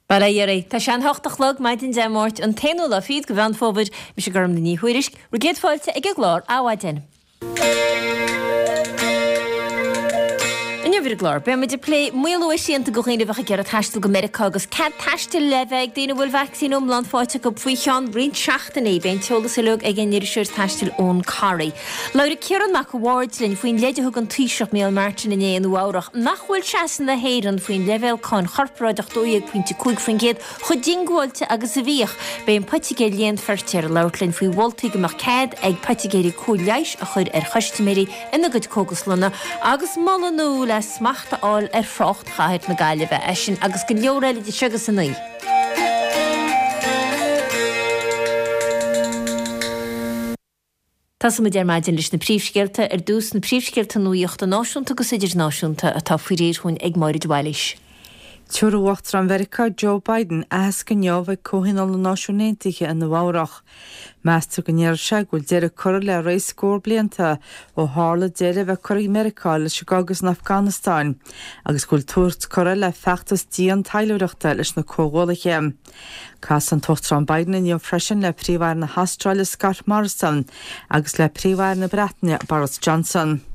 Bail ó Dhia oraibh. Tá sé an hocht a chlog, maidin Dé Máirt, an t-aonú lá fichead de Mheán Fómhair. Mise Gormlaith Ní Thuairisg. Bhur gcéad fáilte ag an gclár Adhmhaidin. Inniu ar an gclár, beidh muid ag plé maolú ar shrianta do dhaoine a bheadh ag iarraidh taisteal go Meiriceá agus cead taistil le bheith ag daoine a bhfuil vacsaín iomlán faighte acu faoi cheann roinnt seachtainí. Beidh an t-eolas uilig ag an iriseoir taistil Eoin Corry. Labhróidh Ciarán Mac a' Bhaird linn faoin leid a thug an Taoiseach Micheál Martin inné i Nua Eabhrach nach bhfuil seasamh na hÉireann faoin leibhéal cáin chorparáideach 12.5% chomh diongbháilte agus a bhíodh. Beidh an Poitigéir Léan Feirtéar ag labhairt linn faoi mholtaí go mbeadh cead ag poitigéirí cóir leighis a chur ar chustaiméirí ina gcuid cógaslanna agus moladh nua le smacht a fháil ar thrácht chathair na Gaillimhe. É sin agus go leor eile idir seo agus a 9. Tosóidh muid ar maidin leis na príomhscéalta. Ar dtús, na príomhscéalta nuaíochta náisiúnta agus idirnáisiúnta atá faoi réir chugainn ag Máire de Bhailís. Tabharfaidh Uachtarán Mheiriceá Joe Biden aitheasc inniu ag Comhthionól na Náisiún Aontaithe i Nua Eabhrach. Meastar go ndéarfaidh sé go bhfuil deireadh curtha le ré scór blianta ó tharla deireadh a bheith curtha ag Meiriceá leis an gcogadh san Afganastáin agus go bhfuil tús curtha le feachtas dian taidhleoireachta leis na comhghuallaithe. Casfaidh an tUachtarán Biden inniu freisin le Príomh-Aire na hAstráile Scott Morrison agus le Príomh-Aire na Breataine Boris Johnson.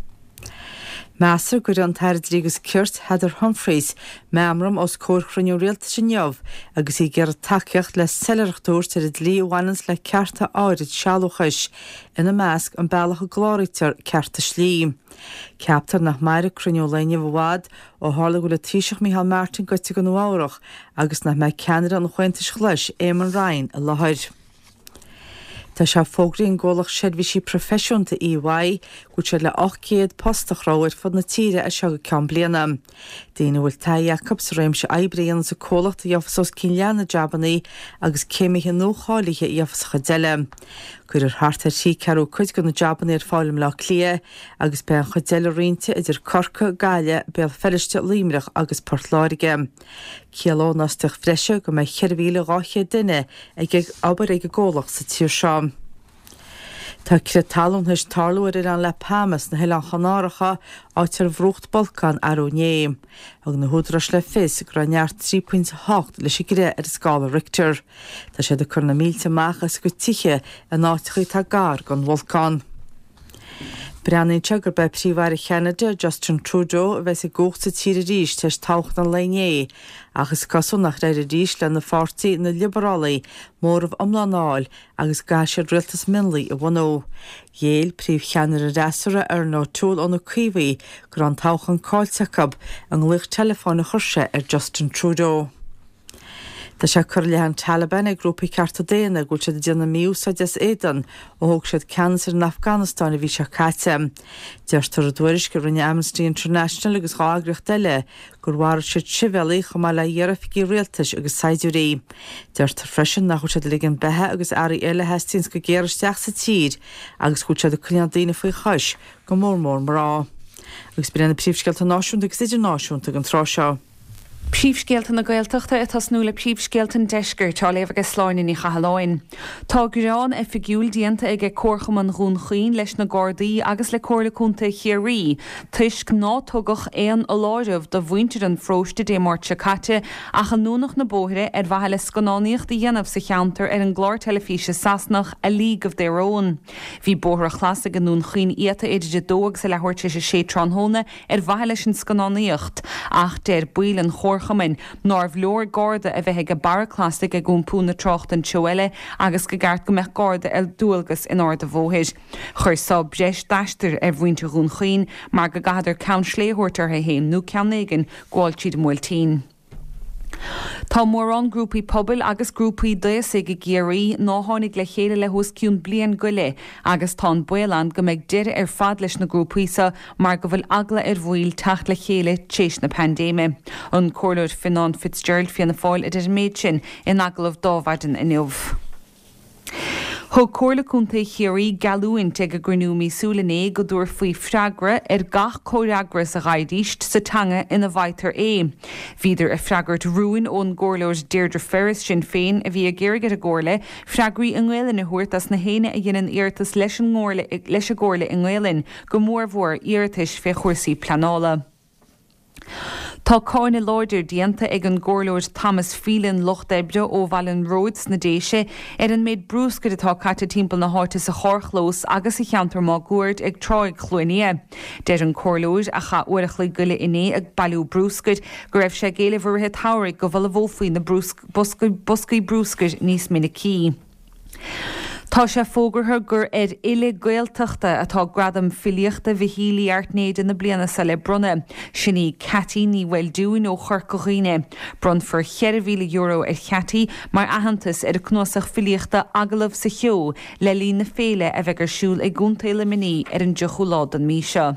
Meastar go gcuirfidh an tAire Dlí agus Cirt Heather Humphreys meamram os comhair chruinniú rialtais inniu agus í ag iarraidh tacaíocht le soiléireacht a thabhairt ar an dlí a bhaineanns le cearta áirid sealúchais, ina measc an bealach a gcláraítear cearta slí. Ceaptar nach mairfidh cruinniú an lae inniu i bhfad ó tharla go bhfuil an Taoiseach Micheál Martin gaibhte go Nua Eabhrach agus nach mbeidh ceannaire an Chomhaontais Ghlais, Eamon Ryan, i láthair. Tá sé fógraithe ag an gcomhlacht seirbhísí proifisiúnta EY go bhfuil siad le 800 post a chruthú ar fud na tíre as seo go ceann bliana. Daoine a bhfuil taithí acu sa réimse oibre a dhéananns an comhlacht a gheofas os cionn leath na jabannaí agus céimithe nuacháilithe a gheofas an chuid eile. Cuirfear thart ar thrí ceathrú cuid de na jabannaí ar fáil i mBleá Cliath agus beidh an chuid eile roinnte idir Corcaigh, Gaillimh, Béal Feirste, Luimneach agus Port Láirge. Ciallóidh an fhostaíocht bhreise go mbeidh 4,200 duine ag obair ag an gcomhlacht sa tír seo. Tá crith talún théis tarlú ar oileán La Palma sna hOileáin Chanáracha, áit ar bhrúcht bolcán arú inné. Thug na húdaráis le fios go raibh neart 3.8 leis an gcrith ar an scála Richter. Tá siad ag cur na mílte amach as a gcuid tithe in áiteacha atá gar don bholcán. Breathnaíonn sé gurb é Príomh-Aire Cheanada, Justin Trudeau, a bheas i gcumhacht sa tír arís tar éis toghchán an lae inné, ach is cosúil nach éireoidh arís lena pháirtí, na Liobarálaigh, móramh iomlán a fháil agus go gcaithfidh siad rialtas mionlaigh a bhunú. Ghéill príomhcheannaire an fhreasúra, Erin O'Toole, ó na Caomhaigh, go raibh an toghchán caillte acu i nglaoch teileafóin a chuir sé ar Justin Trudeau. Tá sé curtha i leith an Taliban ag grúpaí cearta daonna go bhfuil siad ag déanamh mí-úsáide as éadan ó thóg siad ceannas ar an Afganastáin an mhí seo caite. Deirtear i dtuairisc a rinne Amnesty International agus 2 eagraíocht eile gur mharaigh siad sibhialaigh chomh maith le hiar-oifigigh rialtais agus saighdiúirí. Deirtear freisin nach bhfuil siad ag ligean beatha agus earraí eile a theastaíonns go géar isteach sa tír agus go bhfuil siad ag coinneáil daoine faoi chois, go mór mór mná. Agus b'in iad na príomhscéalta náisiúnta agus idirnáisiúnta ag an tráth seo. Príomhscéalta na Gaeltachta ag tosnú le príomhscéalta an Deiscirt, á léamh aige Sláine Ní Chathalláin. Tá gearán oifigiúil déanta aige Comharchumann Dhún Chaoin leis na Gardaí agus le Comhairle Contae Chiarraí toisc ná tugadh aon fholáireamh do mhuintir an pharóiste Dé Máirt seo caite ach a ndúnadh na bóithre ar mhaithe le scannánaíocht a dhéanamh sa cheantar ar an gclár teilifíse Sasanach A League of Their Own. Bhí Bóthar an Chlasaigh i nDún Chaoin iata idir a dó agus a leathuair tar éis a sé tráthnóna ar mhaithe leis an scannánaíocht, ach deir baill an chomharchumainn nárbh leor garda a bheith ag Barra Clasaigh ag iompú na tráchta an treo eile agus go gceart go mbeadh garda ar dualgas in Ard a' Bhóthair. Chuir so breis d'aistir ar mhuintir Dhún Chaoin mar go gcaitheadar Ceann Slé a thabhairt orthu fhéin nó ceann éigin gabháil tríd an mBuailtín. Tá mórán grúpaí pobail agus grúpaí d'aosaigh i gCiarraí ná tháinig le chéile le hos cionn bliain go leith agus tá an baol ann go mbeidh deireadh ar fad leis na grúpaí so mar go bhfuil eagla ar bhaill teacht le chéile tréis na paindéime. An Comhairleoir Fionán Fitzgerald, Fianna Fáil, a deir an méid sin in agallamh d'Adhmhaidin inniu. Thug Comhairle Contae Chiarraí geallúint ag a gcruinniú míosúil inné go dtabharfaí freagra ar gach comhfhreagras a gheibhidís sa teanga ina bhfaightear é. Bhíodar ag freagairt rúin ón gComhairleoir Deirdre Ferris, Sinn Féin, a bhí ag iarraidh ar an gComhairle freagraí i nGaelainn a thabhairt dos na héinne a dheineann iarratas leis an gComhairle i nGaelainn, go mórmhór iarratais fé chúrsaí pleanála. Tá cáineadh láidir déanta ag an gComhairleoir Thomas Phelan, Lucht Oibre ó Bhaile an Róid sna Déise, ar an méid brúscair atá caite timpeall na háite sa charrchlós agus sa cheantar máguaird ag Tráigh Chluain Fhia. Deir an Comhairleoir, a chaith uair a chloig go leith inné ag bailiú brúscair, go raibh sé ag éileamh i rith an tsamhraidh go bhfolmhófaí na boscaí brúscair níos minicí. Tá sé fógartha gur ar fhile Gaeltachta atá Gradam Filíochta Mhichíl Uí Airtnéide na bliana seo le bronnadh. Sin í Ceaití Ní Mhaoldúin ó Chorca Dhuibhne. Bronnfar €4,000 ar Cheaití mar aitheantas ar a cnuasach filíochta Agallamh sa Cheo le linn na féile a bheidh ar siúl i gContae Luimnigh ar an dtríochú lá den mhí seo.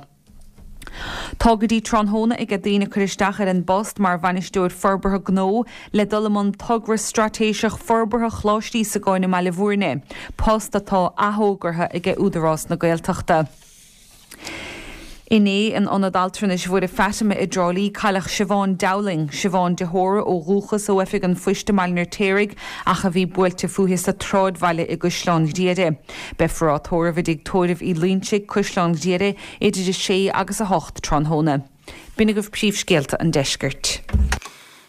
Tá go dtí tráthnóna aige daoine cur isteach ar an bpost mar Bhainisteoir Forbartha Gnó le dul i mbun togra straitéiseach forbartha Choláiste Íosagáin i mBaile Bhúirne, post atá athfhógartha aige Údarás na Gaeltachta. Inné in Ionad Altranais Mhuire Fatima i dTrá Lí cailleadh Siobhán Dowling, Siobhán de hÓra ó dhúchas ó Oifig an Phoist i mBaile an Fheirtéaraigh ach a bhí buailte fúithi sa tsráidbhaile i gCaisleán Ghriaire. Beifear á tórramh i dTigh Tórraimh Uí Loinsigh, Caisleán Ghriaire, idir 6 agus 8 tráthnóna. B'in agaibh príomhscéalta an deiscirt.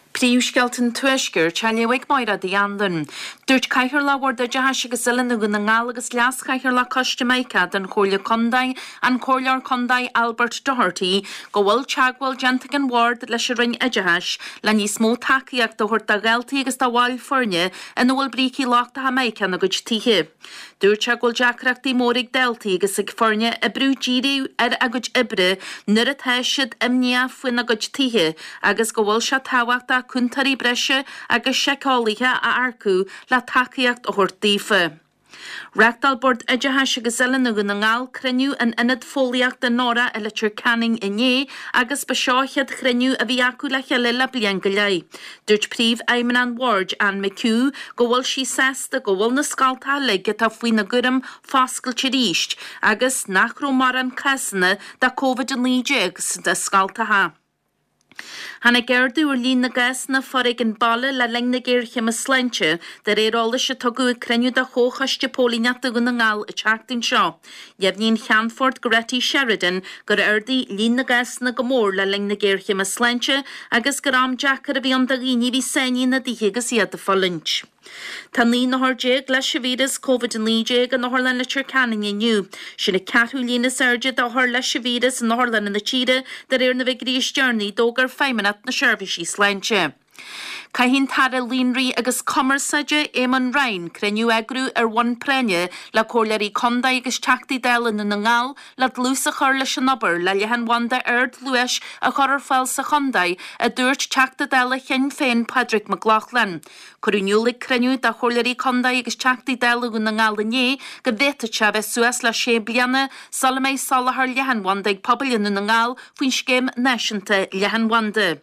Príomhscéalta an Tuaiscirt á léamh ag Máire Uí Anluain. Dúirt Cathaoirleach Bhord Oideachais agus Oiliúna Dhún na nGall agus Leas-Chathaoirleach Coiste Mica den Chomhairle Contae, an Comhairleoir Contae Albert Doherty, go bhfuil teagmháil déanta ag an Bhord leis an Roinn Oideachais le níos mó tacaíochta a thabhairt do dhaltaí agus do bhaill foirne ina bhfuil brící lochtacha mica ina gcuid tithe. Dúirt sé go bhfuil deacrachtaí móra ag daltaí agus ag foirne oibriú díriú ar a gcuid oibre nuair atá siad imníoch faoina gcuid tithe agus go bhfuil sé tábhachtach cúntóirí breise agus seiceálaithe a earcú le tacaíocht a thabhairt daofa. Reáchtáil Bord Oideachais agus Oiliúna Dhún na nGall cruinniú in Ionad Fóillíochta Nora i Leitir Ceanainn inné agus ba seo a chéad chruinniú a bhí acu le chéile le bliain go leith. Dúirt Príomhfheidhmeannach an Bhoird, Anne McHugh, go bhfuil sí sásta go bhfuil na scoltacha uilig atá faoina gcúram foscailte arís agus nach raibh mórán cásanna de Covid-19 sna scoltacha. Tháinig ardú ar líon na gcásanna foréigin baile le linn na géarchéime sláinte, de réir eolais a tugadh ag cruinniú de Chomhchoiste Póilíneachta Dhún na nGall an tseachtain seo. Dheimhnigh an Ceannfort Goretti Sheridan gur ardaigh líon na gcásanna go mór le linn na géarchéime sláinte agus gur am deacair a bhí ann do dhaoine a bhí sáinnithe ina dtithe agus iad ag fulaingt. Tá 19 n-othar leis an víreas Covid-19 in Otharlann Leitir Ceanainn inniu. Sin an ceathrú líon is airde d'othair leis an víreas in otharlanna na tíre de réir na bhfigiúirí is deireanaí a d'fhógair Feidhmeannacht na Seirbhísí Sláinte. Caithfidh an tAire Líonraí agus Cumarsáide, Eamon Ryan, cruinniú a eagrú ar bhonn práinne le Comhairleoirí Contae agus Teachtaí Dála Dhún na nGall le dlús a chur leis an obair le leathanbhanda ardluais a chur ar fáil sa chontae, a dúirt Teachta Dála Shinn Féin Pádraig Mac Lochlainn. Cuireadh in iúl ag cruinniú de Chomhairleoirí Contae agus Teachtaí Dála Dhún na nGall inné go bhféadfadh sé a bheith suas le sé bliana sula mbeidh soláthar leathanbhanda ag pobail i nDún na nGall faoin Scéim Náisiúnta Leathanbhanda.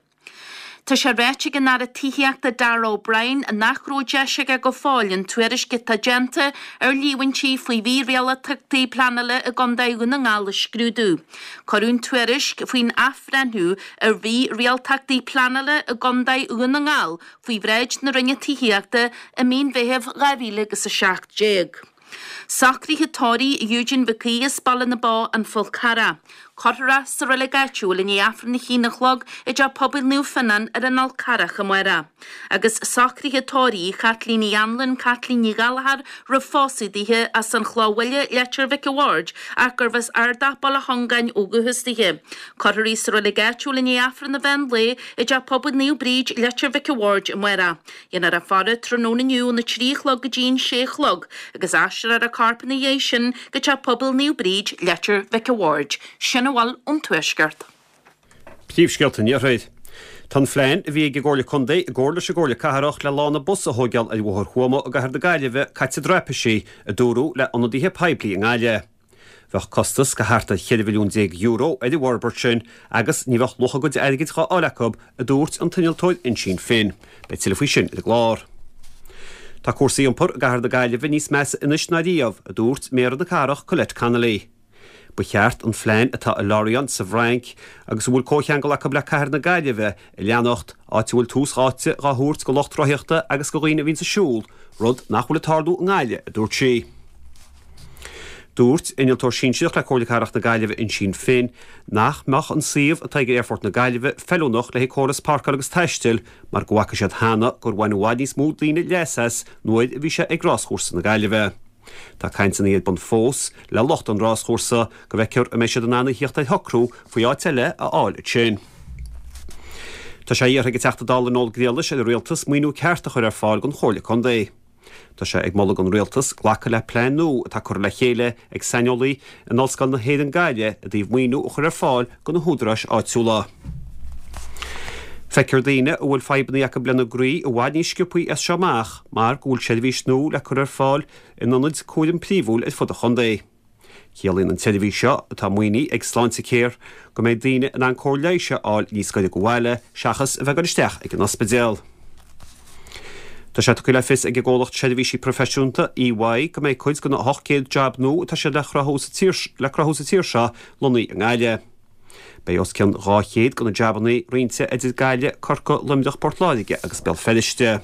Tá sé ráite ag an Aire Tithíochta Darragh O'Brien nach raibh deis aige go fóill an tuairisc atá déanta ar líomhaintí faoi mhírialtachtaí pleanála i gContae Dhún na nGall a scrúdú. Cuireadh an tuairisc faoin athbhreithniú ar mhírialtachtaí pleanála i gContae Dhún na nGall faoi bhráid na Roinne Tithíochta i mí an Mheithimh 2017. Socruithe tórraimh Eugene Mhic Aoidh as Baile na Bó, An Fál Carrach. Cuirfear é sa reilig áitiúil i ndiaidh Aifreann a haon a chlog i dTeach Pobail Naomh Fionnán ar an Fhál Carrach amárach. Agus socruithe tórraimh Chaitlín Uí Anluain, Caitlín Ní Ghallchóir roimh phósadh dithe, as an Chloch Bhaile, Leitir Mhic a' Bhaird, ach gurbh as Ardach, Baile Chongáin ó dhúchas dithe. Cuirfear í sa reilig áitiúil i ndiaidh Aifreann an mheán lae i dTeach Pobail Naomh Bríd, Leitir Mhic a' Bhaird amárach. Déanfar a faire tráthnóna inniu óna 3 a chlog go dtí an 6 a chlog agus aistreofar a corp ina dhiaidh sin go Teach Pobail Naomh Bríd, Leitir Mhic a' Bhaird. Sin a bhfuil ón Tuaisceart. Príomhscéalta an Iarthair. Tá an phlean a bhí ag an gComhairle Contae i gcomhar leis an gComhairle Cathrach le lána bus a thóigeáil ar Bhóthar Thuama i gCathair na Gaillimhe caite i dtraipisí, a dúradh le ionadaithe poiblí i nGaillimh. Bheadh costas de thart ar €14 mhilliún ar an bhforbairt sin agus ní bheadh luach a gcuid airgid dhá fháil acu, a dúirt an t-innealtóir Uinsíonn Finn. Beidh tuilleadh faoi sin ar an gclár. Tá cúrsaí iompair i gcathair na Gaillimhe níos measa anois ná riamh, a dúirt Méara na cathrach Colette Connolly. Ba cheart an phlean atá i Lorient sa bhFrainc agus a bhfuil comhcheangal acu le cathair na Gaillimhe a leanacht, áit a bhfuil tús áite dhá thabhairt go lucht rothaíochta agus go dhaoine a bhíonns ag siúl, rud nach bhfuil ag tarlú i nGaillimh, a dúirt sí. Dúirt innealtóir sinsearach le Comhairle Cathrach na Gaillimhe Uinsíonn Finn nach mbeadh an suíomh atá ag Aerfort na Gaillimhe feiliúnach le haghaidh córas páirceála agus taistil mar go bhfaca siad cheana gur bhain i bhfad níos mó daoine leas as nuair a bhí sé ag ráschúrsa na Gaillimhe. Tá cainteanna ar bun fós le lucht an ráschúrsa go bhfeicfear an mbeidh siad in ann a thíocht ar shocrú faoi áit eile a fháil ansin. Tá sé iarrtha ag an Teachta Dála Noel Griallais ar an Rialtas maoiniú ceart a chur ar fáil don Chomhairle Contae. Tá sé ag moladh don Rialtas glacadh le plean nua atá curtha le chéile ag saineolaí in Ollscoil na hÉireann Gaillimh i dtaobh maoiniú a chur ar fáil do na húdaráis áitiúla. Feicfear daoine a bhfuil fadhbanna acu lena gcroí i bhfad níos sciobthaí as seo amach mar go bhfuil seirbhís nua le cur ar fáil in ionaid cúraim príomhúil ar fud an chontae. Ciallaíonn an tseirbhís seo, atá maoinithe ag Sláintecare, go mbeidh daoine in ann cóir leighis a fháil níos gaire go bhaile seachas a bheith ag dul isteach ag an ospidéal. Tá sé tugtha le fios ag an gcomhlacht seirbhísí proifisiúnta, EY, go mbeidh cuid de na 800 jab nua atá siad le cruthú sa tír seo lonnaithe i nGaillimh. Beidh os cionn 200 de na jabanna roinnte idir Gaillimh, Corcaigh, Luimneach, Port Láirge agus Béal Feirste.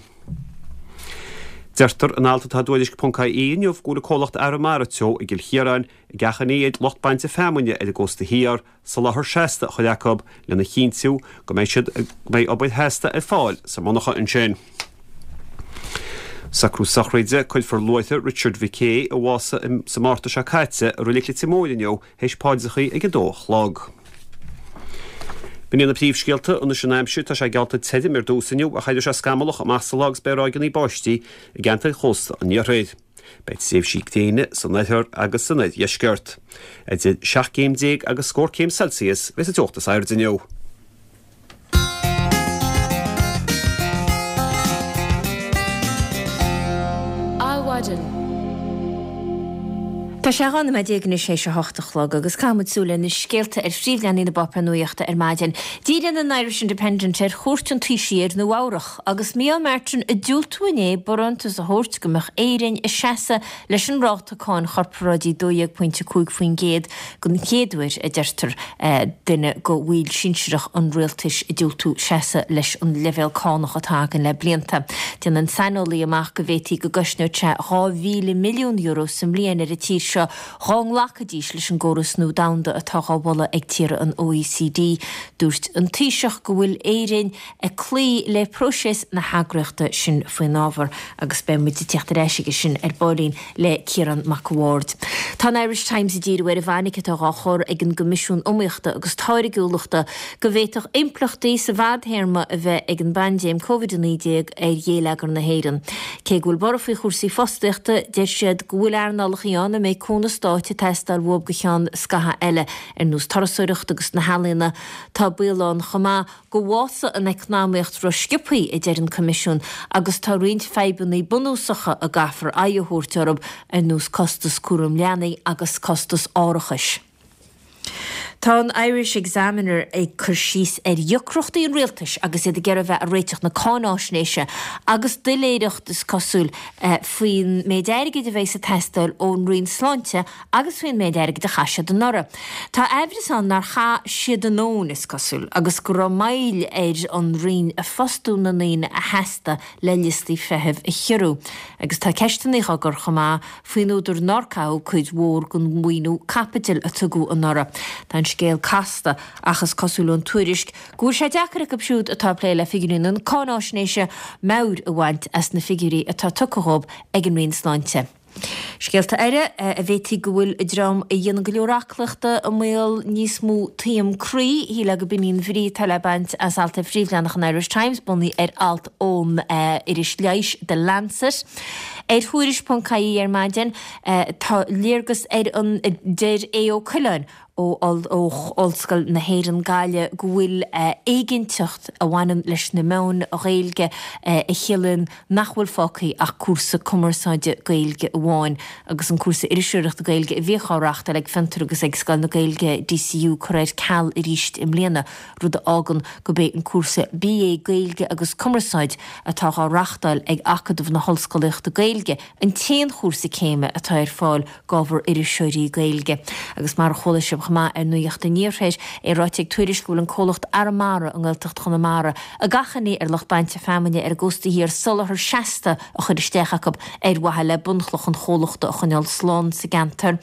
Deirtear in alt atá i dTuairisc ponc ie inniu go bhfuil an comhlacht Arramara Teo i gCill Chiaráin ag achainí ar lucht bainte feamainne ar an gcósta thiar soláthar seasta a chur acu lena chinntiú go mbeidh siad go mbeidh obair sheasta ar fáil sa monarcha ansin. Socrú sochraide, Cuirfear luaithre Richard Mhic Aodha, a bhásaigh sa Márta seo caite, i Reilig Leitir Móir inniu théis paidreachaí ag 2 a chlog. B'in iad na príomhscéalta. Anois an aimsir, tá sé geallta tirim ar dtús inniu ach éireoidh sé scamallach amach sa lá agus beidh ráigeanna báistí i gceantair chósta an iarthair. Beidh tréimhsí gréine san oirthear agus san oirdheisceart. Idir 17 céim agus scór céim Celsius a bheas an teocht is airde inniu. Adhmhaidin. Tá sé 12 nóiméad anois théis a hocht a chlog agus caithfimid súil ar na scéalta ar phríomhleathanaigh na bpáipéar nuachta ar maidin. Díríonn an Irish Independent ar chuairt an Taoisigh ar Nua Eabhrach agus Micheál Martin ag diúltú inné barántas a thabhairt go mbeadh Éirinn ag seasamh leis an ráta cáin chorparáidí 12.5% Den chéad uair, a deirtear, duine de bhaill sinsearach an rialtais ag diúltú seasamh leis an leibhéal cánach atá againn le blianta. Déanann saineolaí amach go bhféadfaí go gcosnódh sé €2,000 milliún sa mbliain ar an tír seo dhá nglacfaidís leis an gcóras nua domhanda atá dhá mholadh ag tíortha an OECD. Dúirt an Taoiseach go bhfuil Éirinn ag cloí le próiseas na heagraíochta sin faoin ábhar agus beidh muid ag teacht ar ais aige sin ar baillín le Ciarán Mac a' Bhaird. Tá an Irish Times ag díriú ar an bhfainic atá dhá chur ag an gCoimisiún Iomaíochta agus Táirgiúlachta go bhféadfadh impleachtaí sa bhfadthéarma a bheith ag an bpaindéim Covid-19 ar ghéilleagar na hÉireann. Cé go bhfuil borradh faoi chúrsaí fostaíochta, deir siad go bhfuil earnálacha ann a mbeidh cúnamh stáit ag teastáil uathu go cheann scaithimh eile, ar nós turasóireacht agus na healaíona. Tá baol ann chomh maith go bhfásfaidh an eacnamaíocht ró-sciobthaí, a deir an Coimisiún, agus tá roinnt fadhbanna bunúsacha a gcaithfear aghaidh a thabhairt orthu, ar nós costas cúram leanaí agus costas árachais. Tá an Irish Examiner ag cur síos ar dheacrachtaí an rialtais agus iad ag iarraidh a bheith ag réiteach na cáináisnéise agus doiléireacht, is cosúil, faoin méid airgid a bheas ag teastáil ón Roinn Sláinte agus faoin méid airgid a chaith siad anuraidh. Tá aimhreas ann nár chaith siad a ndóthain, is cosúil, agus go raibh moill ar an Roinn ag fostú na ndaoine a theastaigh le liostaí feithimh a chiorrú. Agus tá ceisteanna á gcur chomh maith faoin údar nár caitheadh cuid mhór den mhaoiniú caipitil a tugadh anuraidh. Tá an scéal casta ach is cosúil ón tuairisc go bhfuil sé deacair acu siúd atá ag plé le figiúirí na cáináisnéise meabhair a bhaint as na figiúirí atá tugtha dhóibh ag an Roinn Sláinte. Scéalta eile, a bhféadfaí go bhfuil an dream a dhéanann go leor aclaíochta i mbaol níos mó taom croí. Shílfeá go b'in í an bhrí atá le baint as alt ar phríomhleathanach an Irish Times, bunaithe ar alt ón iris leighis The Lancet. Ar Thuairisc.ie ar maidin, tá léargas ar an, deir Aodh Ó Coileáin, ó Ollscoil na hÉireann Gaillimh go bhfuil éiginnteacht a bhaineann leis na meáin Ghaeilge a chiallaíonn nach bhfuil fágtha ach cúrsa cumarsáide Gaeilge amháin agus an cúrsa iriseoireachta Gaeilge a bhíodh á reáchtáil ag Fiontar agus ag Scoil na Gaeilge DCU curtha ar ceal arís i mbliana, rud a fhágann gurb é an cúrsa BA Gaeilge agus Cumarsáid atá á reáchtáil ag Acadamh na hOllscolaíochta Gaeilge an t-aon chúrsa céime atá ar fáil d'ábhar iriseoirí Gaeilge. Agus mar a chuala sibh. chomh maith ar Nuacht an Iarthair, é ráite ag Tuairisc go bhfuil an comhlacht Arramara i nGaeltacht Chonamara ag achainí ar lucht bainte feamainne ar an gcósta thiar soláthar seasta a chur isteach acu ar mhaithe le bunchloch an chomhlachta a choinneáil slán sa gceantar.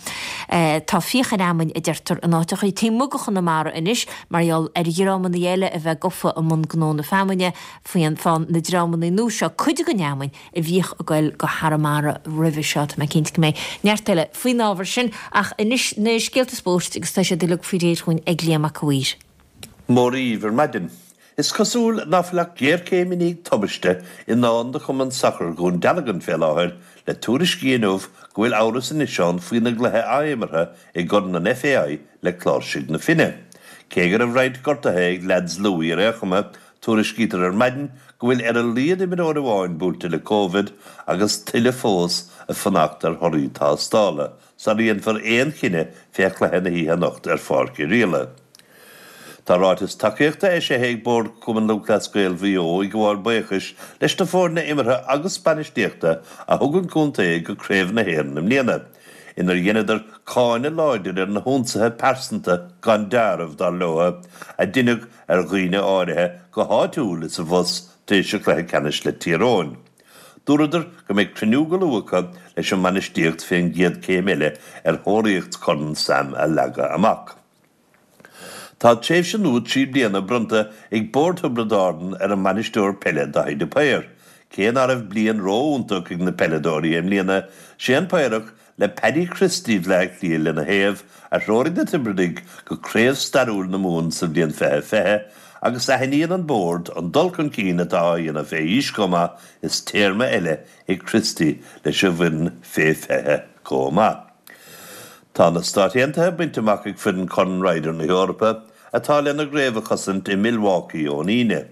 Tá fiach ar fheamainn, a deirtear, in áiteachaí taobh amuigh de Chonamara anois mar gheall ar dhreamanna eile a bheith gofa i mbun gnó na feamainne. Faigheann na dreamanna nua seo cuid den fheamainn a bhíodh ag goil go hArramara roimhe seo. Tá mé cinnte go mbeidh neart eile faoin ábhar sin ach anois na scéalta spóirt agus tá siad uilig faoi réir dhúinn ag Liam Mac a' Mhaoir. Mora dhaoibh ar maidin. Is cosúil ná fuil ach géarchéim i ndiaidh tubaiste i ndán do Chumann Sacair Dhún Dealgan fé láthair le tuairiscí inniu go bhfuil amhras anois ann faoina gcluiche ath-imeartha i gCorn an FAI le Cláirsigh na Finne. Cé go raibh roinnt gortaithe ag leaids Louis ar aon chuma, Tuairiscítear ar maidin go bhfuil ar a laghad imreoir amháin buailte le Covid agus tuilleadh fós ag fanacht ar thorthaí tástála sara dhéanfar aon chinneadh fé chluiche na hoíche anocht ar Pháirc Oirialla. Tá ráiteas tacaíochta eisithe ag Bord Chumann Lúthchleas Gael Mhaigh Eo ag gabháil buíochais leis na foirne imeartha agus bainistíochta a thug an contae go Craobh na hÉireann i mbliana, inar dheineadar cáineadh láidir ar na hionsaithe pearsanta gan deáramh, dar leo, a deineadh ar dhaoine áirithe go háitiúil is abhus tar éis an chluiche ceannais le Tír Eoghain. Dúradar go mbeidh cruinniú go luath acu leis an mbainistíocht fén gcéad céim eile ar thóraíocht Chorn Sam a leagadh amach. Tá tréimhse nua 3 bliana bronnta ag Bord Thiobraid Árann ar an mbainisteoir peile Daithí de Paor. Cé ná raibh bliain ró-iontach ag na peileadóirí i mbliana, sé an Paorach Le Paddy Christie Bhleá Cliath lena thaobh, a threoraigh na Tiobradaigh go craobh stairiúil na Mumhan sa bhliain 2020, agus aithníonn an Bord an dul chun cinn atá á dhéanamh fé aois chomh maith is téarma eile ag Christie leis an bhfoireann fé 20 chomh maith. Tá na Stáit Aontaithe bainte amach ag foireann Chorn Ryder na hEorpa, atá lena gcraobh a chosaint i Milwaukee ón Aoine.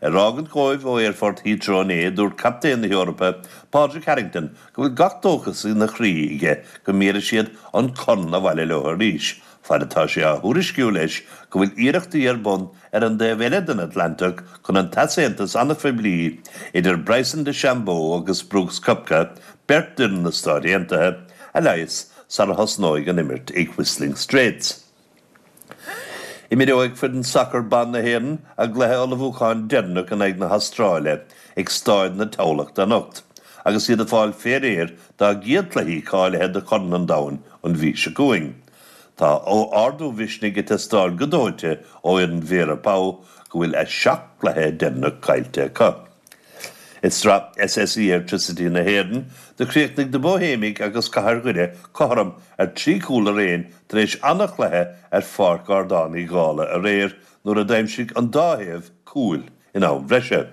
Ar fhágaint dhóibh ó aerfort Heathrow inné, dúirt captaen na hEorpa, Padraig Harrington, go bhfuil gach dóchas ina chroí aige go mbéarfaidh siad an corn abhaile leo arís, fad atá sé á thuairisciú leis go bhfuil iarrachtaí ar bun ar an dtaobh eile den Atlantach chun an t-easaontas an-phoiblí idir Bryson DeChambeau agus Brooks Koepka, beirt d'fhoireann na Stáit Aontaithe, a leigheas sara thosnóidh an imirt ag Whistling Straits. Imreoidh foireann sacair ban na hÉireann a gcluiche ullmhúcháin deireanach in aghaidh na hAstráile ag Stáid na Thamhlachta anocht agus iad ag fáil fé réir dá gcéad chluichí cáilithe do Chorn an Domhain an mhí seo chugainn. Tá ardú mhisnigh ag teastáil go dóite ó fhoireann Vera Pauw go bhfuil a seacht gcluiche deireanach caillte acu. I Sraith SSE Airtricity na hÉireann, do chríochnaigh na Bóihéimigh agus Cathair Dhoire cothrom ar thrí chúl araon tar éis ana-chluiche ar Pháirc Ardán Uí Dhálaigh aréir nuair a d'aimsigh an dá thaobh cúil in am bhreise.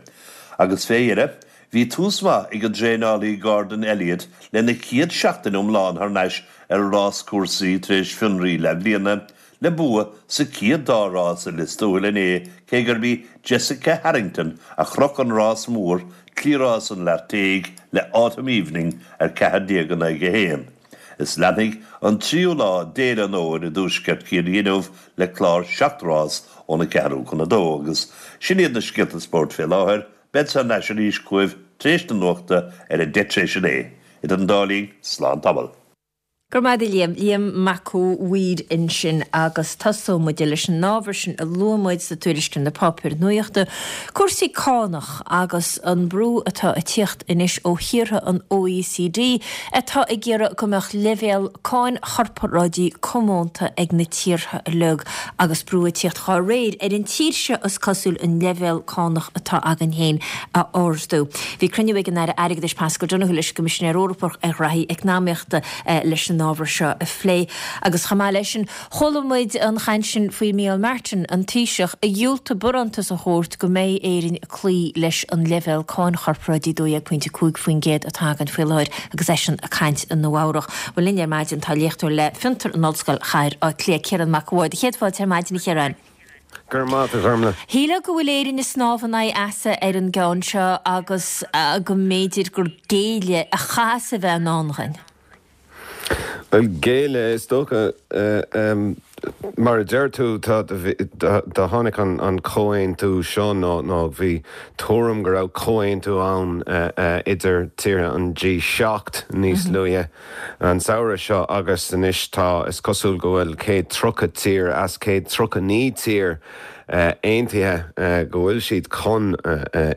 Agus fé dheireadh, bhí tús maith ag an dtraenálaí Gordon Elliott lena chéad seachtain iomlán thar n-ais ar ráschúrsaí tar éis fionraí leathbhliana, le bua sa chéad dá rás i Lios Tuathail inné cé gurb í Jessica Harrington a chroch an rás mór, Cliathrás an Leartaigh, le Autumn Evening ar 14 in aghaidh 1. Is leanfaidh an tríú lá d'Fhéile an Fhómhair i dTuaisceart Chiarraí inniu le clár seacht rás óna ceathrú chun a dó agus sin iad na scéalta spóirt fé láthair. Bead thar n-ais arís chugaibh tar éis na nuachta ar a deich tar éis a naoi. Idir an dá linn, slán tamall. Go raibh maith agat a Liam. Liam Mac a' Mhaoir ansin agus tosóidh muid leis an ábhar sin a luaigh muid sa tuairisc ar na páipéir nuachta, cúrsaí cánach agus an brú atá ag tíocht anois ó thíortha an OECD atá ag iarraidh go mbeadh leibhéal cáin chorparáidí comónta ag na tíortha uilig agus brú ag tíocht dhá réir ar an tír seo is cosúil an leibhéal cánach atá againn féin a ardú. Bhí cruinniú ag an Aire Airgeadais Paschal Donohoe leis an gCoimisinéir Eorpach ar Ghraithí Eacnamaíochta leis an ábhar seo a phlé. Agus chomh maith leis sin, chuala muid an chaint sin faoi Micheál Martin, an Taoiseach, a dhiúltaigh barántas a thabhairt go mbeidh Éirinn ag cloí leis an leibhéal cáin chorparáidí 12.5% atá againn faoi láthair agus eisean ag caint i Nua Eabhrach. Bhuel linn ar maidin tá léachtóir le Fiontar in Ollscoil Chathair Átha Cliath, Ciarán Mac a' Bhaird. Céad fáilte ar maidin a Chiaráin. Go raibh maith agat, a Ghormlaith. Shílfeá go bhfuil Éirinn ag snámh in aghaidh easa ar an gceann seo agus go mb'fhéidir gur géilleadh a chaithfeas a bheith i ndán dhuinn. Bhuel, géilleadh, is dócha. Mar a deir tú, tá, do tháinig an comhaontú seo nó nó bhí tuairim go raibh comhaontú ann idir tíortha an G7 níos luaithe an samhradh seo agus anois tá, is cosúil go bhfuil 130 tír as 139 tír aontaithe go bhfuil siad chun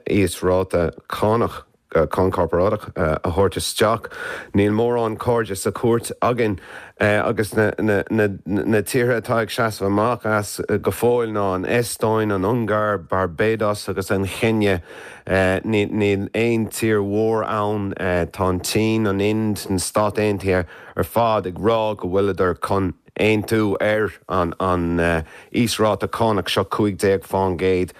íosráta cánach cáin chorparáideach a thabhairt isteach. Níl mórán cairde sa chúirt againn agus na tíortha atá ag seasamh amach as go fóill ná an Eastóin, an Ungáir, Barbados agus an Chéinia. Níl aon tír mhór ann. Tá an tSín, an Ind, na Stáit Aontaithe ar fad ag rá go bhfuileadar chun aontú ar an íosráta cánach seo, 15%.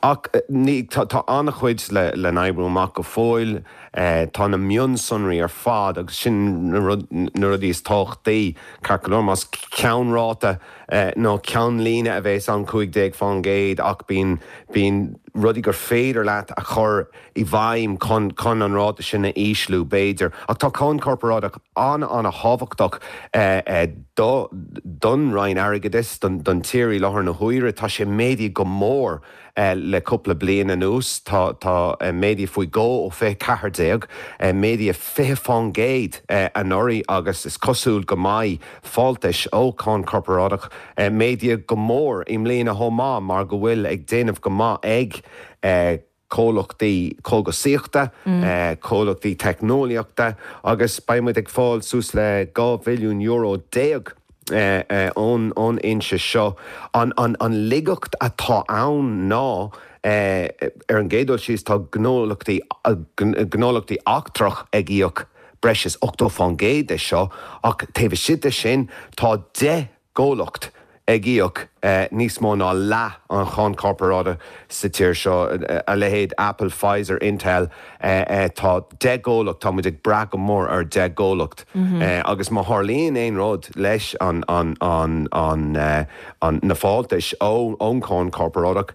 Ach tá an-chuid le n-oibriú amach go fóill. Tá na mionsonraí ar fad, agus sin na rudaí is tábhachtaí, ceart go leor, más ceannráta nó ceannlíne a bheas ann, 15%, ach bíonn rudaí gur féidir leat a chur i bhfeidhm chun chun an ráta sin a ísliú, b'fhéidir. Ach tá cáin chorparáideach an-an-thábhachtach do don Roinn Airgeadais, don don tír i láthair na huaire. Tá sé méadaithe go mór le cúpla bliain anuas. Tá tá méadaithe faoi dhó ó 2014, méadaithe 20% anuraidh agus is cosúil go mbeidh fáltais ó cháin chorparáideach méadaithe go mór i mbliana chomh maith mar go bhfuil ag déanamh go maith ag comhlachtaí cógasaíochta, comhlachtaí teicneolaíochta agus beidh muid ag fáil suas le €12 bhilliún ón fhoinse seo. An laigeacht atá ann ná, ar an gcéad dul síos, tá gnólachtaí gnólachtaí eachtrach ag íoc breis is 80% de seo ach taobh istigh de sin tá 10 gcomhlacht ag íoc níos mó ná leath an cháin chorparáideach sa tír seo, a leithéid Apple, Pfizer, Intel. Tá 10 gcomhlacht, tá muid ag brath go mór ar 10 gcomhlacht agus má tharlaíonn aon rud leis an na fáltais ón cháin chorparáideach,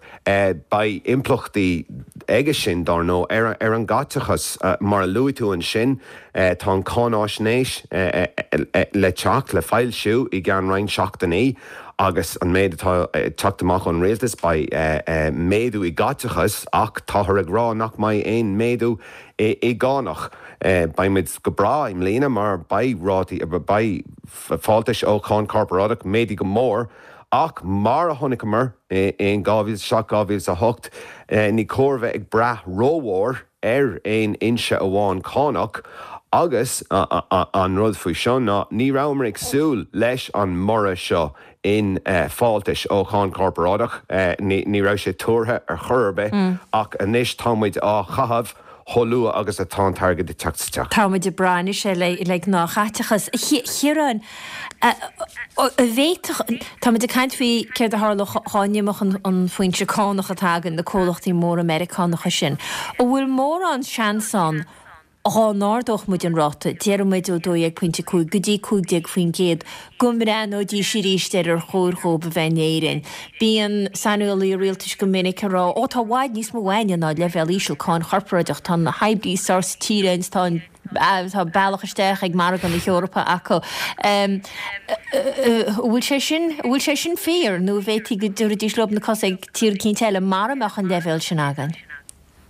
beidh impleachtaí aige sin, dár ndóigh, ar an gcaiteachas. Mar a luaigh tú ansin, Tá an cháináisnéis le teacht, le foilsiú i gceann roinnt seachtainí agus an méid atá ag teacht amach ón rialtas, beidh méadú i gcaiteachas ach táthar ag rá nach mbeidh aon méadú i gcánach. Beidh muid go breá i mbliana mar beidh rátaí, beidh fáltais ó cháin chorparáideach méadaithe go mór ach mar a chonaiceamar in 2007, 2008, ní cóir bheith ag brath rómhór ar aon fhoinse amháin cánach agus an rud faoi seo ná ní rabhamar ag súil leis an mborradh seo in fáltais ó cháin chorparáideach, ní raibh sé tuartha ar chor ar bith ach anois tá muid á chaitheamh chomh luath agus atá an t-airgead ag teacht isteach. Tá muid ag brath anois air le gnáthchaiteachas. A Chiaráin, An bhféadfadh, tá muid ag caint faoi céard a tharlódh dá n-imeodh an foinse cánach atá againn, na comhlachtaí móra Meiriceánacha sin. An bhfuil mórán seans ann dhá n-ardódh muid an ráta, déarfaidh muid ó 12.5 go dtí 15%, go mbreathnóidís arís ar ar chóir dhóibh a bheith in Éirinn? Bíonn saineolaithe rialtais go minic ag rá, ó tá i bhfad níos mó againne ná leibhéal íseal cáin chorparáideach, tá na hoibrithe saor sa tír againn, tá an. Tá bealach isteach ag margadh na hEorpa acu. An bhfuil sé sin, an bhfuil sé sin fíor nó an bhféadfaí go dtabharfaidís leo na cosa ag tír eicínt eile mara mbeadh an leibhéal sin againn?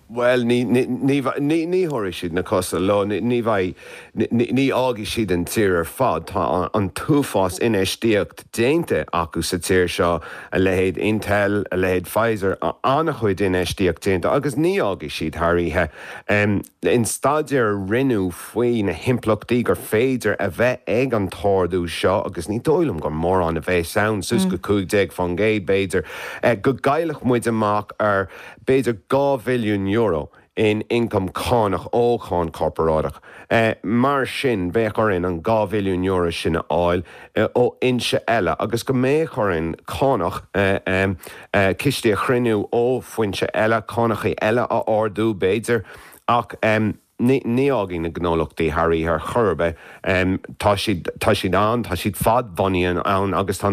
Bhuel, ní, ní, ní, ní, ní thabharfaidh siad na cosa leo, ní, ní bheidh, ní, ní fhágfaidh siad an tír ar fad. Tá an t-uafás infheistíocht déanta acu sa tír seo, a leithéid Intel, a leithéid Pfizer, an-chuid infheistíocht déanta agus ní fhágfaidh siad thar oíche. In staidéar a rinneadh faoi na himpleachtaí gur féidir a bheith ag an t-ardú seo, agus ní dóigh liom gur mórán a bheas ann, suas go 15% b'fhéidir, go gcaillfeadh muid amach ar b'fhéidir €2 bhilliún in ioncam cánach ó cháin chorparáideach. Mar sin, bheadh orainn an €2 bhilliún sin a fháil ó fhoinse eile agus go mbeadh orainn cánach, cistí a chruinniú ó foinse eile, cánachaí eile a ardú b'fhéidir, ach. Ní fhágfaidh na gnólachtaí thar oíche ar chor ar bith. Tá siad, tá siad ann, tá siad fadbhunaithe ann agus tá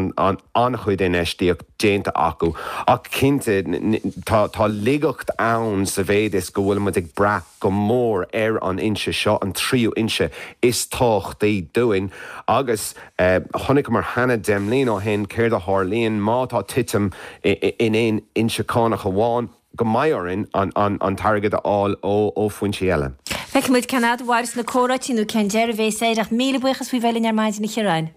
an-chuid infheistíocht déanta acu. Ach cinnte, tá, tá laigeacht ann sa mhéid is go bhfuil muid ag brath go mór ar an fhoinse seo, an tríú fhoinse is tábhachtaí dúinn. Agus chonaiceamar cheana 10 mbliana ó shin céard a tharlaíonn má tá titim in aon fhoinse cánach amháin. go mbeidh orainn an t-airgead a fháil ó foinsí eile. Feicfidh muid cén fhad a mhairfeas na comhráití nó cén deireadh a bhéas air ach míle buíochas faoi bheith linn ar maidin a Chiaráin.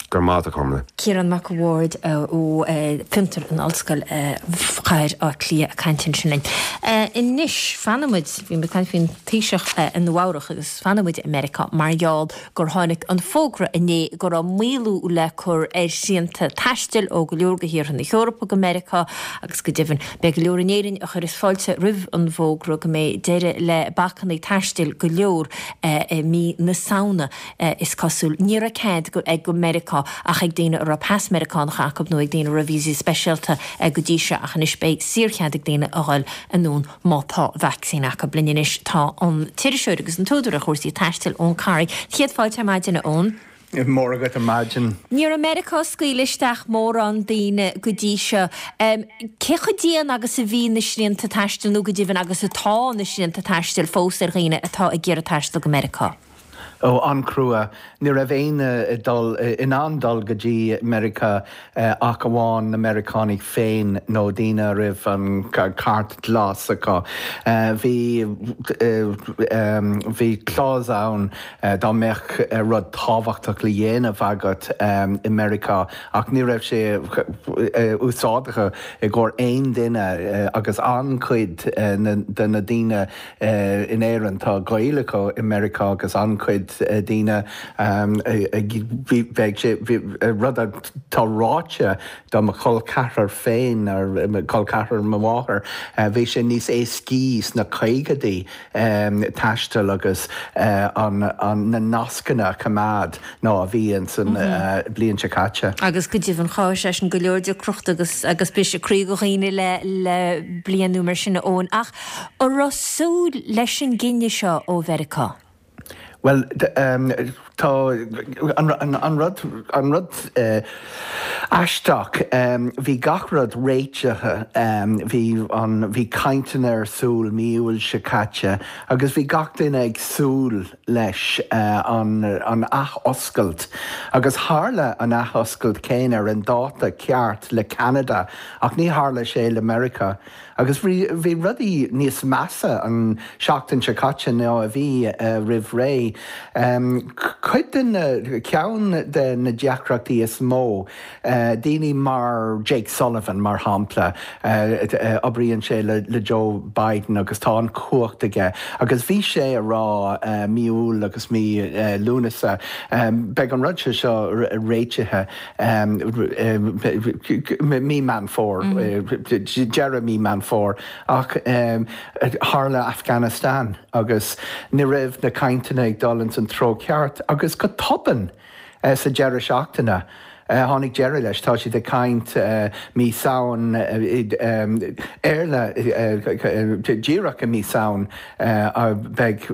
Go raibh maith agat a Chormaic. Ciarán Mac a' Bhaird ó Fiontar in Ollscoil Chathair Átha Cliath ag caint ansin linn. Anois, fanfaidh muid, bhí muid ag caint faoin Taoiseach i Nua Eabhrach agus fanfaidh muid i Meiriceá mar gheall gur tháinig an fógra inné go raibh maolú le cur ar shrianta taistil ó go leor de thíortha na hEorpa go Meiriceá agus go deimhin beidh go leor in Éirinn a chuireas fáilte roimh an bhfógra go mbeidh deireadh le bacanna taistil go leor i mí na Samhna is cosúil. Ní raibh cead ag go Meiriceá ach ag daoine a raibh pas Meiriceánach acu nó ag daoine a raibh víosaí speisialta go dtí seo ach anois beidh saorchead ag daoine a dhul anonn Má tá vacsaín acu. Linn anois tá an t-iriseoir agus an t-údar ar chúrsaí taistil, Eoin Corry. Céad fáilte ar maidin, a Eoin. Móra agat ar maidin. Ní raibh Meiriceá ag scaoileadh isteach mórán daoine go dtí seo. Cé chomh dian agus a bhí na srianta taistil nó go deimhin agus atá na srianta taistil fós ar dhaoine atá ag iarraidh taisteal go Meiriceá? Ó, an-chrua. Ní raibh éinne ag dul, in ann dul go dtí Meiriceá ach amháin na Meiriceánaigh féin nó daoine a raibh an cairt ghlas acu. Bhí, bhí clause ann dá mbeadh rud tábhachtach le dhéanamh agat i Meiriceá ach ní raibh sé úsáideach i gcomhair aon duine agus an-chuid de na daoine In Éirinn tá gaol acu i Meiriceá agus an-chuid daoine bheadh sé rud atá ráite do mo chol ceathrar féin, col ceathrar mo mháthar, bhí sé níos éascaí sna caogaidí taisteal agus na nascanna a choimeád ná a bhí ins an bliain seo caite. Agus go deimhin chothaigh sé sin go leor deacrachta agus agus briseadh croí do dhaoine le le bliain nó mar sin a Eoin. Ach an raibh súil leis an gcinneadh seo ó Mheiriceá? Bhuel, tá an rud, an rud aisteach, bhí gach rud réitithe, bhí an, bhí cainteanna ar siúl mí Iúil seo caite agus bhí gach duine ag súil leis an ath-oscailt agus tharla an ath-oscailt céanna ar an dáta ceart le Ceanada ach ní tharla sé le Meiriceá. Agus bhí rudaí níos measa an seachtain seo caite ná a bhí roimh ré. Cuid de na, ceann de na deacrachtaí is mó, daoine mar Jake Sullivan, mar shampla, oibríonn sé le Joe Biden agus tá an chumhacht aige agus bhí sé a rá mí Iúil agus mí Lúnasa, beidh an rud seo réitithe. mí Meán Fómhair, deireadh mí Meán Fómhair, ach tharla Afghanistan agus ní raibh na cainteanna ag dul ins an treo ceart agus go tobann sa deireadh seachtaine tháinig deireadh leis. Tá siad ag caint mí Samhain, díreach i mí Samhain. Beidh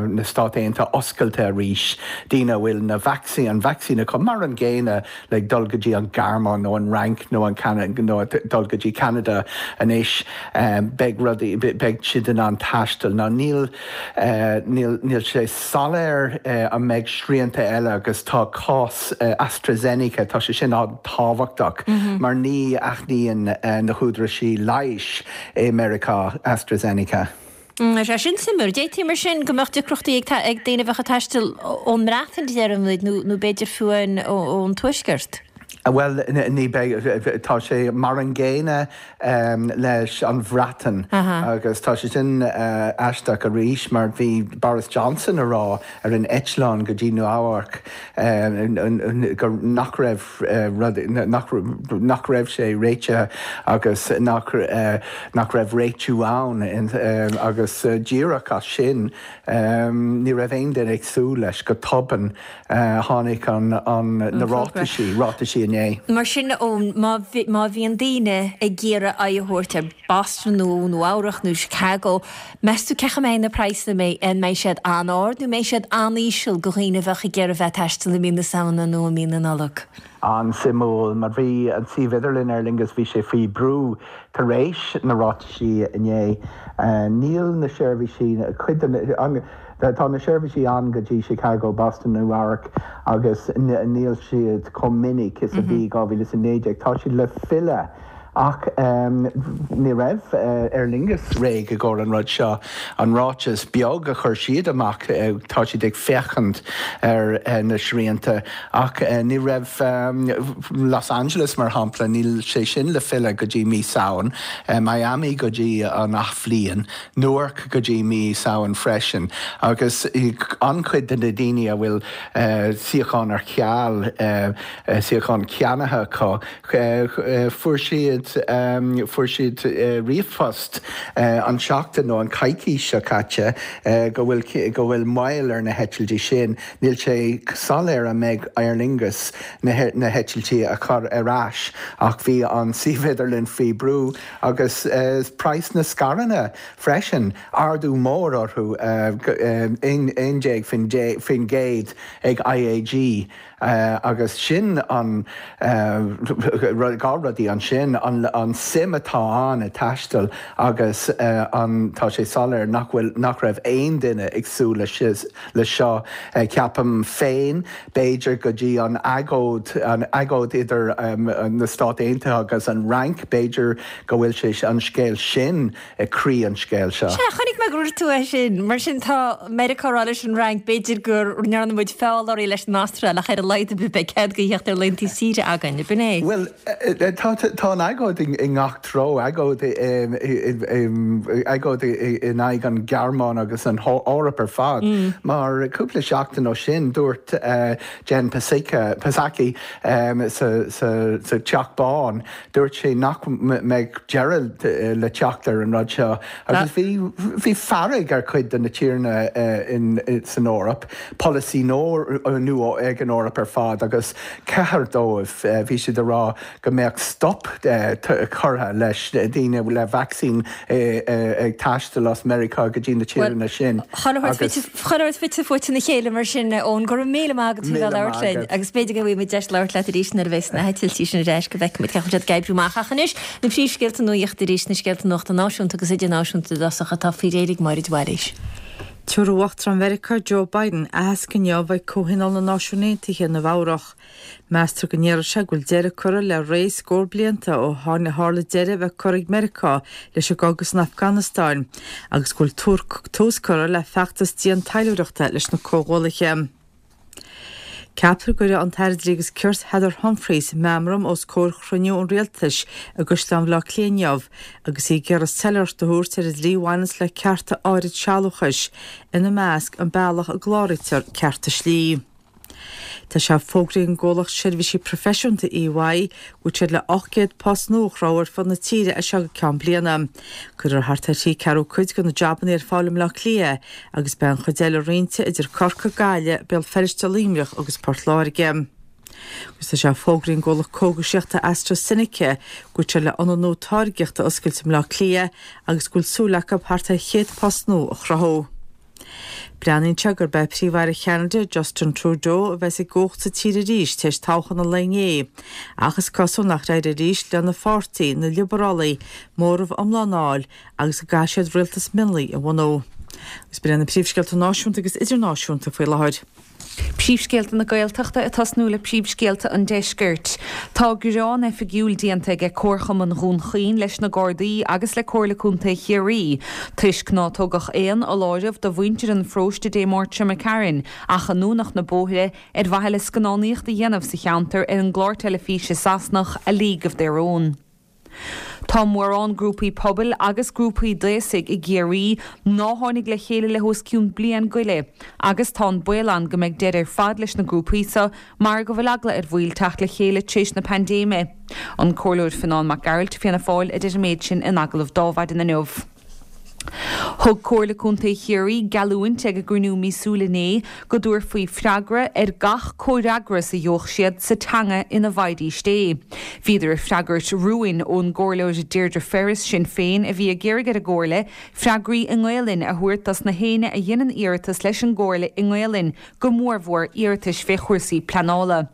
na Stáit Aontaithe oscailte arís daoine a bhfuil na vacsaín, an vacsaín acu, mar an gcéanna le dul go dtí an Ghearmáin nó an Fhrainc nó an nó dul go dtí Ceanada anois. Beidh rudaí, beidh siad in ann taisteal. Now níl, níl, níl sé soiléir an mbeidh srianta eile agus tá cás AstraZeneca, tá sé sin an-tábhachtach mar ní aithníonn na húdaráisí leighis i Meiriceá, AstraZeneca. Tá sé sin suimiúil. D'fhéadfaí mar sin go mbeadh deacrachtaí ag daoine a bheadh ag taisteal ón mBreatain, déarfaidh muid, nó b'fhéidir fiú ón Tuaisceart. Bhuel, ní bheidh, tá sé mar an gcéanna leis an Bhreatain agus tá sé sin aisteach arís mar bhí Boris Johnson a rá ar an eitleán go dtí Nua Eabharc go nach raibh rud, nach, nach raibh sé réitithe agus nach, nach raibh réitiú ann agus díreach as sin ní raibh aon duine ag súil leis go tobann tháinig an, an, na ráitisí, ráitisí inné. inné. Mar sin, Eoin, má bhíonn daoine ag iarraidh aghaidh a thabhairt ar Boston nó Nua Eabhrac nó Chicago, meas tú cén chaoi a mbeidh na praghsanna, an mbeidh siad an-ard nó mbeidh siad an-íseal do dhaoine a bheadh ag iarraidh bheith ag taisteal i mí na Samhna nó i mí na Nollag? An-suimiúil, mar bhí an suíomh idirlín Aer Lingus, bhí sé faoi brú tar éis na ráitisí inné. Níl na seirbhísí, cuid de na, tá na seirbhísí ann go dtí Chicago, Boston, Nua Eabhrac agus níl siad chomh minic is a bhí 2019. Tá siad le filleadh Ach ní raibh Aer Lingus réidh i gcomhair an rud seo. An ráiteas beag a chuir siad amach, tá siad ag féachaint ar na srianta ach ní raibh Los Angeles, mar shampla, níl sé sin le filleadh go dtí mí Samhain, Miami go dtí an athbhliain, Newark go dtí mí Samhain freisin. Agus an-chuid de na daoine a bhfuil suíocháin ar ceal, suíocháin ceannaithe acu, Fuair siad, fuair siad ríomhphost an tseachtain nó an coicís seo caite go bhfuil, go bhfuil moill ar na heitiltí sin. Níl sé soiléir an mbeidh Aer Lingus na heitiltí a chur ar ais ach bhí an suíomh idirlín faoi brú agus praghas na scaireanna freisin, ardú mór orthu, 11% ag IAG. Agus sin an dá rudaí ansin, an suim atá ann i taisteal agus an, tá sé soiléir nach bhfuil, nach raibh aon duine ag súil le seo. Ceapaim féin, b'fhéidir go dtí an agóid, an agóid idir na Stáit Aontaithe agus an Fhrainc, b'fhéidir go bhfuil sé, an scéal sin ag croí an scéil seo. Sea, chonaic mé go raibh tú é sin. Mar sin tá Meiriceá ag rá leis an Fhrainc, b'fhéidir go ndearna muid feall oraibh leis an Astráil ach ar a laghad ar bith beidh cead a theacht ar laethanta saoire againn, ab in é? Bhuel, tá an agóid i ngach treo, agóid agóid in aghaidh an Ghearmáin agus an Eoraip ar fad. Mar cúpla seachtain ó sin dúirt Jen Psaki sa Teach Bán Dúirt sé nach mbeadh deireadh le teacht ar an rud seo agus bhí bhí fearg ar chuid de na tíortha san Eoraip, polasaí nua ag an Eoraip ar fad agus ceithir dóibh, bhí siad ag rá go mbeadh stop curtha leis daoine le vacsaín ag taisteal as Meiriceá go dtí na tíortha sin agus. Chuile shórt fite fuaite ina chéile mar sin, a Eoin. Go raibh míle maith agat as a bheith ag labhairt linn agus b'fhéidir go bhfaighidh muid deis labhairt leat arís nuair a bheas na heitiltí sin ar ais go bhfeicfidh muid cén chaoi a bhfuil siad ag oibriú amach. Ach anois, na príomhscéalta nuachta arís, na scéalta nuachta náisiúnta agus idirnáisiúnta i dtosach atá faoi réir ag Máire de Bhailís. Tabharfaidh Uachtarán Mheiriceá Joe Biden aitheasc inniu ag Comhthionól na Náisiún Aontaithe i Nua Eabhrach. Meastar go ndéarfaidh sé go bhfuil deireadh curtha le ré scór blianta ó tharla deireadh a bheith curtha ag Meiriceá leis an gcogadh san Afganastáin agus go bhfuil tús curtha le feachtas dian taidhleoireachta leis na comhghuallaithe. Ceaptar go gcuirfidh an tAire Dlí agus Cirt Heather Humphreys meamram os comhair chruinniú an Rialtais i gCaisleán Bhaile Átha Cliath inniu agus í ag iarraidh soiléireacht a thabhairt ar an dlí a bhaineanns le cearta áirid sealúchais, ina measc an bealach a gcláraítear cearta slí. Tá sé fógraithe ag an gcomhlacht seirbhísí proifisiúnta EY go bhfuil siad le 800 post nua a chruthú ar fud na tíre as seo go ceann bliana. Cuirfear thart ar thrí ceathrú cuid de na jabanna ar fáil i mBleá Cliath agus beidh an chuid eile roinnte idir Corcaigh, Gaillimh, Béal Feirste, Luimneach agus Port Láirge. Agus tá sé fógraithe ag an gcomhlacht cógaisíochta AstraZeneca go bhfuil siad le ionad nua táirgeachta a oscailt i mBleá Cliath agus go bhfuil súil acu thart ar 100 post nua a chruthú. Breathnaíonn sé gurb é Príomh-Aire Cheanada, Justin Trudeau, a bheas i gcumhacht sa tír arís tar éis toghchán an lae inné, ach is cosúil nach éireoidh arís lena pháirtí, na Liobarálaigh, móramh iomlán a fháil agus go gcaithfidh siad rialtas mionlaigh a bhunú. Agus b'in iad na príomhscéalta náisiúnta agus idirnáisiúnta faoi láthair. Príomhscéalta na Gaeltachta ag tosnú le príomhscéalta an Deiscirt. Tá gearán oifigiúil déanta aige Comharchumann Dhún Chaoin leis na Gardaí agus le Comhairle Contae Chiarraí toisc ná tugadh aon fholáireamh do mhuintir an pharóiste Dé Máirt seo imigh tharainn ach a ndúnadh na bóithre ar mhaithe le scannánaíocht a dhéanamh sa cheantar ar an gclár teilifíse Sasanach A League of Their Own. Tá mórán grúpaí pobail agus grúpaí d'aosaigh i gCiarraí ná tháinig le chéile le hos cionn bliain go leith agus tá an baol ann go mbeidh deireadh ar fad leis na grúpaí so mar go bhfuil eagla ar bhaill teacht le chéile tréis na paindéime. An Comhairleoir Fionán Mac Gearailt, Fianna Fáil, a deir an méid sin in agallamh d'Adhmhaidin inniu. Thug Comhairle Contae Chiarraí geallúint ag a gcruinniú míosúil inné go dtabharfaí freagra ar gach comhfhreagras a gheobhadh siad sa teanga ina bhfaighidís é. Bhíodar ag freagairt rúin ón gComhairleoir Deirdre Ferris, Sinn Féin, a bhí ag iarraidh ar an gComhairle freagraí i nGaolainn a thabhairt dos na héinne a dheineann iarratas leis an gComhairle i nGaolainn, go mórmhór iarratais fé chúrsaí pleanála.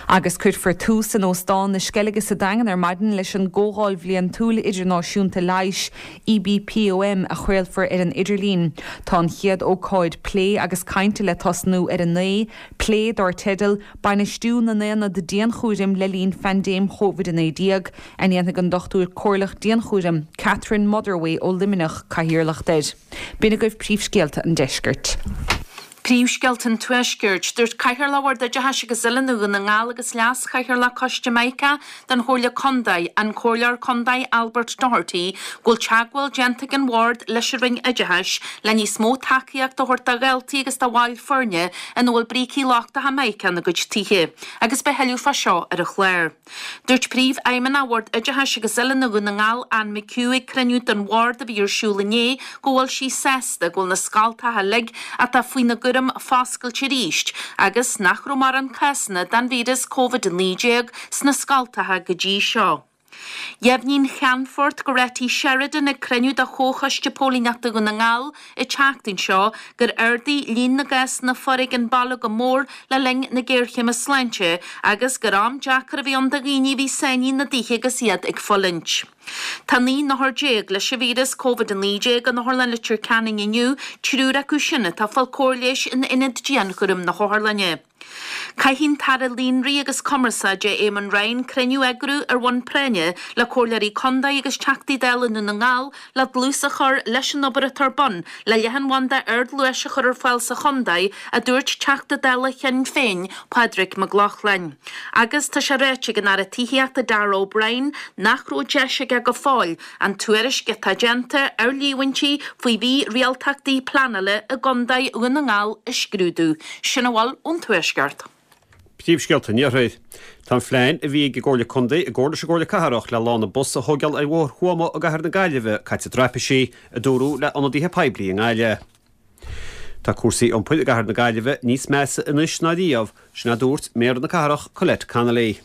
Agus cuirfear tús in Óstán na Sceilge sa Daingean ar maidin leis an gComhdháil Bhliantúil Idirnáisiúnta Leighis, EBPOM, a chraolfar ar an idirlíon. Tá an chéad ócáid plé agus cainte le tosnú ar a 9, plé dár teideal 'Bainistiú na nAonad Dianchúraim le linn Phaindéim Covid-19', a ndéanfaidh an Dochtúir Comhairleach Dianchúraim, Catherine Motherway ó Luimneach, cathaoirleacht air. B'in agaibh príomhscéalta an deiscirt. Príomhscéalta an Tuaiscirt. Dúirt Cathaoirleach Bhord Oideachais agus Oiliúna Dhún na nGall agus Leas-Chathaoirleach Coiste Mica den Chomhairle Contae, an Comhairleoir Contae Albert Doherty, go bhfuil teagmháil déanta ag an Bhord leis an Roinn Oideachais le níos mó tacaíocht a thabhairt do dhaltaí agus do bhaill foirne ina bhfuil brící lochtacha Mica ina gcuid tithe agus beidh thuilleadh fá seo ar an chlár. Dúirt Príomhfheidhmeannach Bhord Oideachais agus Oiliúna Dhún na nGall, Anne McHugh ag cruinniú den Bhord a bhí ar siúl inné go bhfuil sí sásta go bhfuil na scoltacha uilig atá faoina gcúram foscailte arís agus nach raibh mórán cásanna den víreas Covid-19 sna scoltacha go dtí seo. Dheimhnigh an Ceannfort Goretti Sheridan ag cruinniú de Chomhchoiste Póilíneachta Dhún na nGall an tseachtain seo gur ardaigh líon na gcásanna foréigin baile go mór le linn na géarchéime sláinte agus gur am deacair a bhí ann do dhaoine a bhí sáinnithe ina dtithe agus iad ag fulaingt. Tá 19 n-othar leis an víreas Covid-19 in Otharlann Leitir Ceanainn inniu, triúr acu sin atá ag fáil cóir leighis in ionad dianchúraim na hotharlainne. Caithfidh an tAire Líonraí agus Cumarsáide Eamon Ryan cruinniú a eagrú ar bhonn práinne le Comhairleoirí Contae agus Teachtaí Dála i nDún na nGall le dlús a chur leis an obair atá ar bun le leathanbhanda ardluais a chur ar fáil sa chontae, a dúirt Teachta Dála Shinn Féin, Pádraig Mac Lochlainn. Agus tá sé ráite ag an Aire Tithíochta Darragh O'Brien nach raibh deis aige go fóill an tuairisc atá déanta ar líomhaintí faoi mhírialtachtaí pleanála i gContae Dhún na nGall a scrúdú. Sin a bhfuil ón Tuaisceart. Príomhscéalta an Iarthair. Tá an phlean a bhí ag an gComhairle Contae i gcomhar leis an gComhairle Cathrach le lána bus a thóigeáil ar Bhóthar Thuama i gCathair na Gaillimhe caite i dtraipisí, a dúradh le ionadaithe poiblí i nGaillimh. Tá cúrsaí iompair i gCathair na Gaillimhe níos measa anois ná riamh, sin a dúirt Méara na Cathrach Colette Connolly.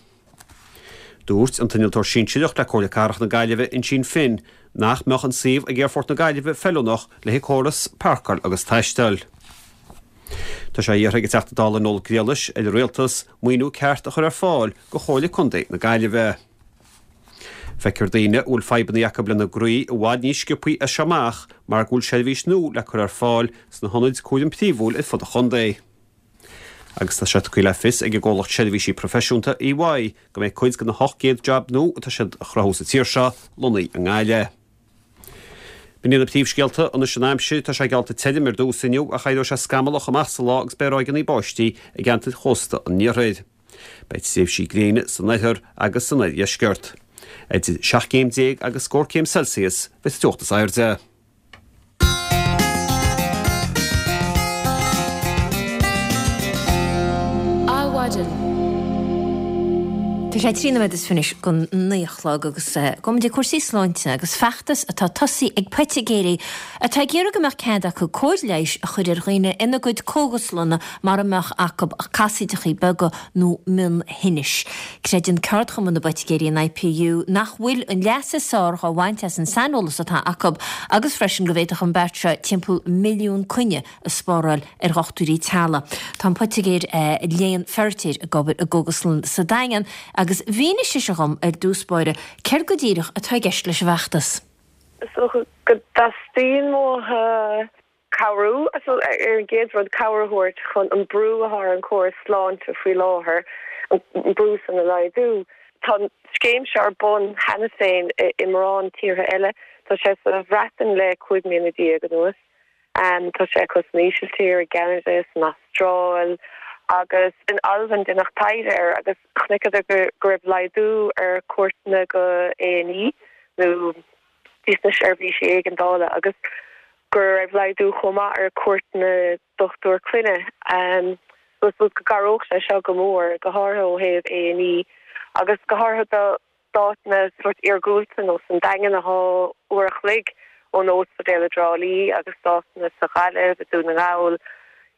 Dúirt an t-innealtóir sinsearach le Comhairle Cathrach na Gaillimhe, Uinsíonn Finn, nach mbeadh an suíomh ag Aerfort na Gaillimhe feiliúnach le haghaidh córas páirceáil agus taistil. Tá sé iarrtha ag an Teachta Dála Noel Grealish ar an Rialtas maoiniú ceart a chur ar fáil go Chomhairle Contae na Gaillimhe. Feicfear daoine a bhfuil fadhbanna acu lena gcroí i bhfad níos sciobthaí as seo amach mar go bhfuil seirbhís nua le cur ar fáil sna hionaid cúraim phríomhúil ar fud an chontae. Agus tá sé tugtha le fios ag an gcomhlacht seirbhísí proifisiúnta, EY, go mbeidh cuid de na 800 jab nua atá siad a chruthú sa tír seo lonnaithe i nGaillimh. B'in iad na príomhscéalta anois an aimsir. Tá sé geallta tirim ar dtús inniu ach éireoidh sé scamallach amach sa lá agus beidh ráigeanna báistí i gceantair chósta an iarthair. Beidh tréimhsí gréine san oirthear agus san oirdheisceart. Idir 17 céim agus scór céim Celsius a bheidh sa teocht is airde. Adhmhaidin. Tá sé 13 nóiméad is fiche anois don 9 a chlog agus gabhfaidh muid ag cúrsaí sláinte agus feachtas atá tosaithe ag poitigéirí atá ag iarraidh go mbeadh cead acu cóir leighis a chur ar dhaoine ina gcuid cógaslanna mara mbeadh acu ach casaoideachaí beaga nó mionthinnis. Creideann Ceardchumann na bPoitigéirí, an IPU, nach bhfuil an leas is fearr dhá bhaint as an saineolas atá acu agus freisin go bhféadfadh an beart seo timpeall milliún coinne a spáráil ar dhochtúirí teaghlaigh. Tá an poitigéir Léan Feiritéar ag obair i gcógaslann sa Daingean agus mhínigh sise dhom ar dtús báire céard go díreach atá i gceist leis an bhfeachtas. Is dócha go dteastaíonn uathu Cabhrú, ar an gcéad rud, cabhair a thabhairt chun an brú atá ar an chóras sláinte faoi láthair, an brú san a laghdú. Tá an scéim seo ar bun cheana féin i mórán tíortha eile. Tá sé sa Bhreatain le 15 mbliana anuas. Tá sé acu san Ísiltír, i gCeanada, san Astráil agus in Albain deineadh taighde air agus chonaiceadar go raibh laghdú ar cuairteanna go A&E nó dtí sna seirbhísí éigeandála agus go raibh laghdú chomh maith ar cuairteanna dochtúir clainne. So I suppose go gcabhródh sé seo go mór, go háirithe ó thaobh A&E agus go háirithe do d'áiteanna sórt iargúlta nó san Daingean atá uair a chloig ó. ón ospidéal i dTrá Lí agus áiteanna sa Ghaillimh, i Dún na nGall,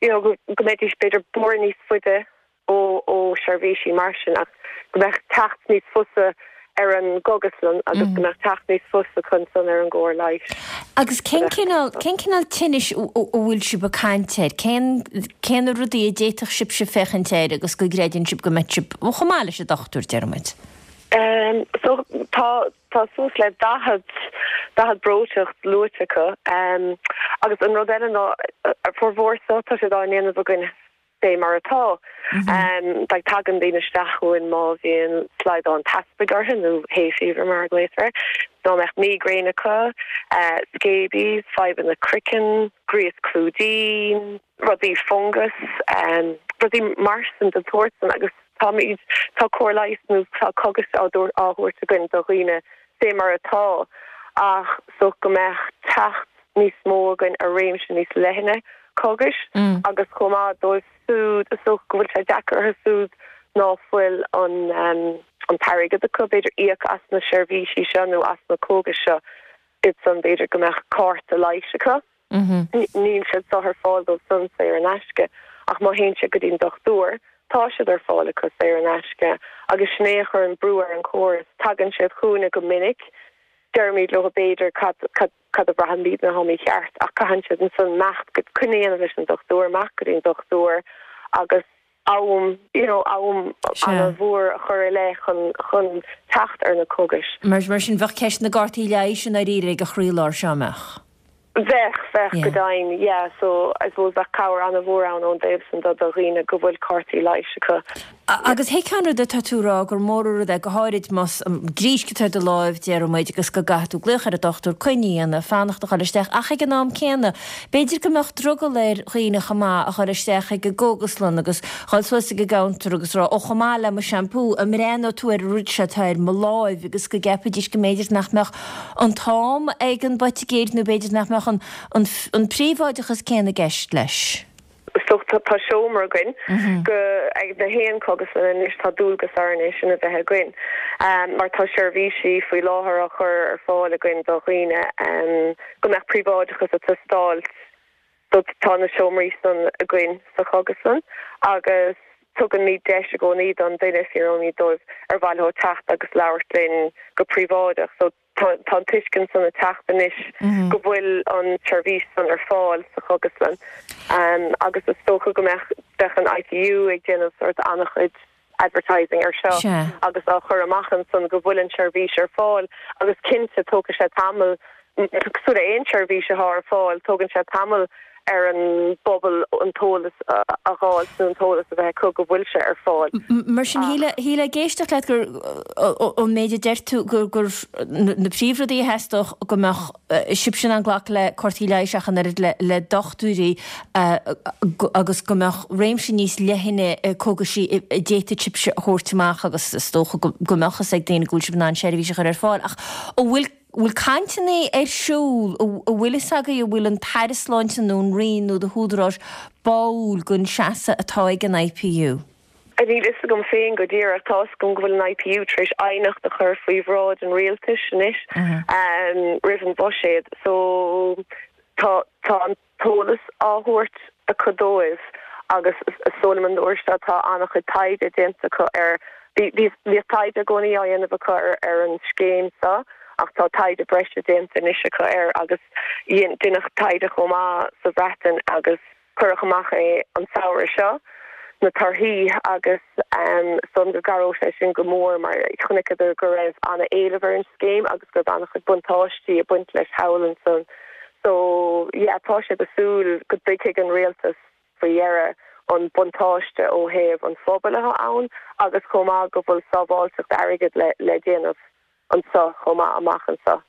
you know, go mbeidís b'fhéidir bóthar níos faide ó ó seirbhísí mar sin ach go mbeadh teacht níos fusa ar an gcógaslann agus go mbeadh teacht níos fusa acu ansan ar an gcóir leighis. Agus cén cineál, cén cineál tinnis a bhfuil sibh ag caint air? Cén, cé na rudaí a d'fhéadfadh sibhse féachaint air agus go gcreideann sibh go mbeadh sibh chomh maith leis an dochtúir, deir muid? So tá, tá suas le 40, 40 breoiteacht luaite acu. Agus an rud eile ná, formhór so, tá siad á ndéanamh againn fé mar atá. Like tagann daoine isteach chugainn má bhíonn slaghdán teaspaigh orthu nó hay fever mar a ghlaotar air, dá mbeadh migraine acu, scabies, fadhbanna croiceann, gríos clúidín, rudaí fungas, rudaí mar sin den tsórt san agus táimid, tá cóir leighis nó tá cógais á thabhairt againn do dhaoine fé mar atá ach so go mbeadh teacht níos mó againn ar réimse níos leithne cógais agus chomh maith dóibh siúd is dócha go bhfuil sé deacair orthu siúd ná fuil an an t-airgead acu b'fhéidir íoc as na seirbhísí seo nó as na cógais seo iad san b'fhéidir go mbeadh cárta leighis acu. Níl siad seo ar fáil dóibh san saor in aisce ach má théann siad go dtí an dochtúir tá siad ar fáil acu saor in aisce agus sin é a chuireann brú ar an chóras. Tagann siad chugainne go minic, deirimid leo b'fhéidir cad cad cad a bhraithimidne atá mícheart ach caitheann siad ansan imeacht go coinne a dhéanamh leis an dochtúir, imeacht go dtí an dochtúir agus am, you know, am an-mhór a chur i leith chun chun teacht ar na cógais. Mar mar sin bheadh ceist na gcártaí leighis i ndáiríre ag an chroílár seo, an mbeadh? Bheadh, bheadh, go deimhin, yeah. So, I suppose bheadh cabhair an-mhór ann ón dtaobh san do do dhaoine go bhfuil cártaí leighis acu. Agus thuigfeá an rud atá tú a rá, gur mór an rud é, go háirid más grísc atá ar do láimh, déarfaidh muid, agus go gcaithfidh tú glaoch ar an dochtúir, coinne a dhéanamh, fanacht a dhul isteach, ach ag an am céanna, b'fhéidir go mbeadh drogall ar dhaoine chomh maith a dhul isteach ag an gcógaslann agus dhul suas ag an gcounter agus rá, ó chomh maith le mo shampoo, an mbreathnóidh tú ar an rud seo atá ar mo láimh agus go gceapfaidís go mb'fhéidir nach mbeadh an t-am ag an bpoitigéir nó b'fhéidir nach mbeadh an an príobháideachas céanna i gceist leis. So tá seomra againn go ag na haon cógaslann anois tá dualgas orainn é sin a bheith againn mar tá seirbhísí faoi láthair á chur ar fáil againn do dhaoine go mbeadh príobháideachas ag teastáil so tá na seomraí san againn sa chógaslann agus tugaimid deis i gcónaí don duine fiafraímid dóibh ar mhaith leo teacht agus labhairt linn go príobháideach so Tá an tuiscint san ag teacht anois go bhfuil an tseirbhís san ar fáil sa chógaslann agus is dócha go mbeadh bheadh an IPU ag déanamh sort an-chuid advertising ar seo agus á chur amach ansan go bhfuil an tseirbhís ar fáil agus cinnte tógfaidh sé tamall, cosúil le aon tseirbhís atá ar fáil, tógann sé tamall ar an bpobal an t-eolas a dh'fháilt nó an t-eolas a bheith acu go bhfuil sé ar fáil. Mar sin, shílfeá ag éisteacht leat gur, ón méid a deir tú, gur na príomhrudaí a theastódh go mbeadh sibhse in ann glacadh le cártaí leighis ach an oiread le dochtúirí agus go mbeadh réimse níos leithne cógaisí a d'fhéadfadh sibhse a thabhairt amach agus is dócha go mbeadh fhios ag daoine go bhfuil sibh in ann seirbhís a chur ar fáil. Ach an bhfuil bhfuil cainteanna ar siúl, an bhfuil fhios agaibh an bhfuil an tAire Sláinte nó an Roinn nó na húdaráis báúil don seasamh atá ag an IPU? Níl fhios agam féin go díreach. Tá fhios agam go bhfuil an IPU tar éis aighneacht a chur faoi bhráid an rialtais anois roimh an bhuiséad. So tá tá an t-eolas á thabhairt acu dóibh agus is dóigh liom an uair seo tá an-chuid taighde déanta acu ar, bhíodh taighde i gcónaí á dhéanamh acu ar an scéim seo ach tá taighde breise déanta anois acu air agus deineadh taighde chomh maith sa Bhreatain agus Cuireadh amach é an samhradh seo, na torthaí, agus is dóigh liom go gcabhróidh sé sin go mór mar chonaiceadar go raibh an-éileamh ar an scéim agus go raibh an-chuid buntáistí ag baint leis thall ansan. So, yeah, tá siad ag súil go dtuigfidh an rialtas faoi dheireadh an buntáiste ó thaobh an phobail atá ann agus chomh maith go bhfuil sábháilteacht airgid le déanamh anso chomh maith amach anso.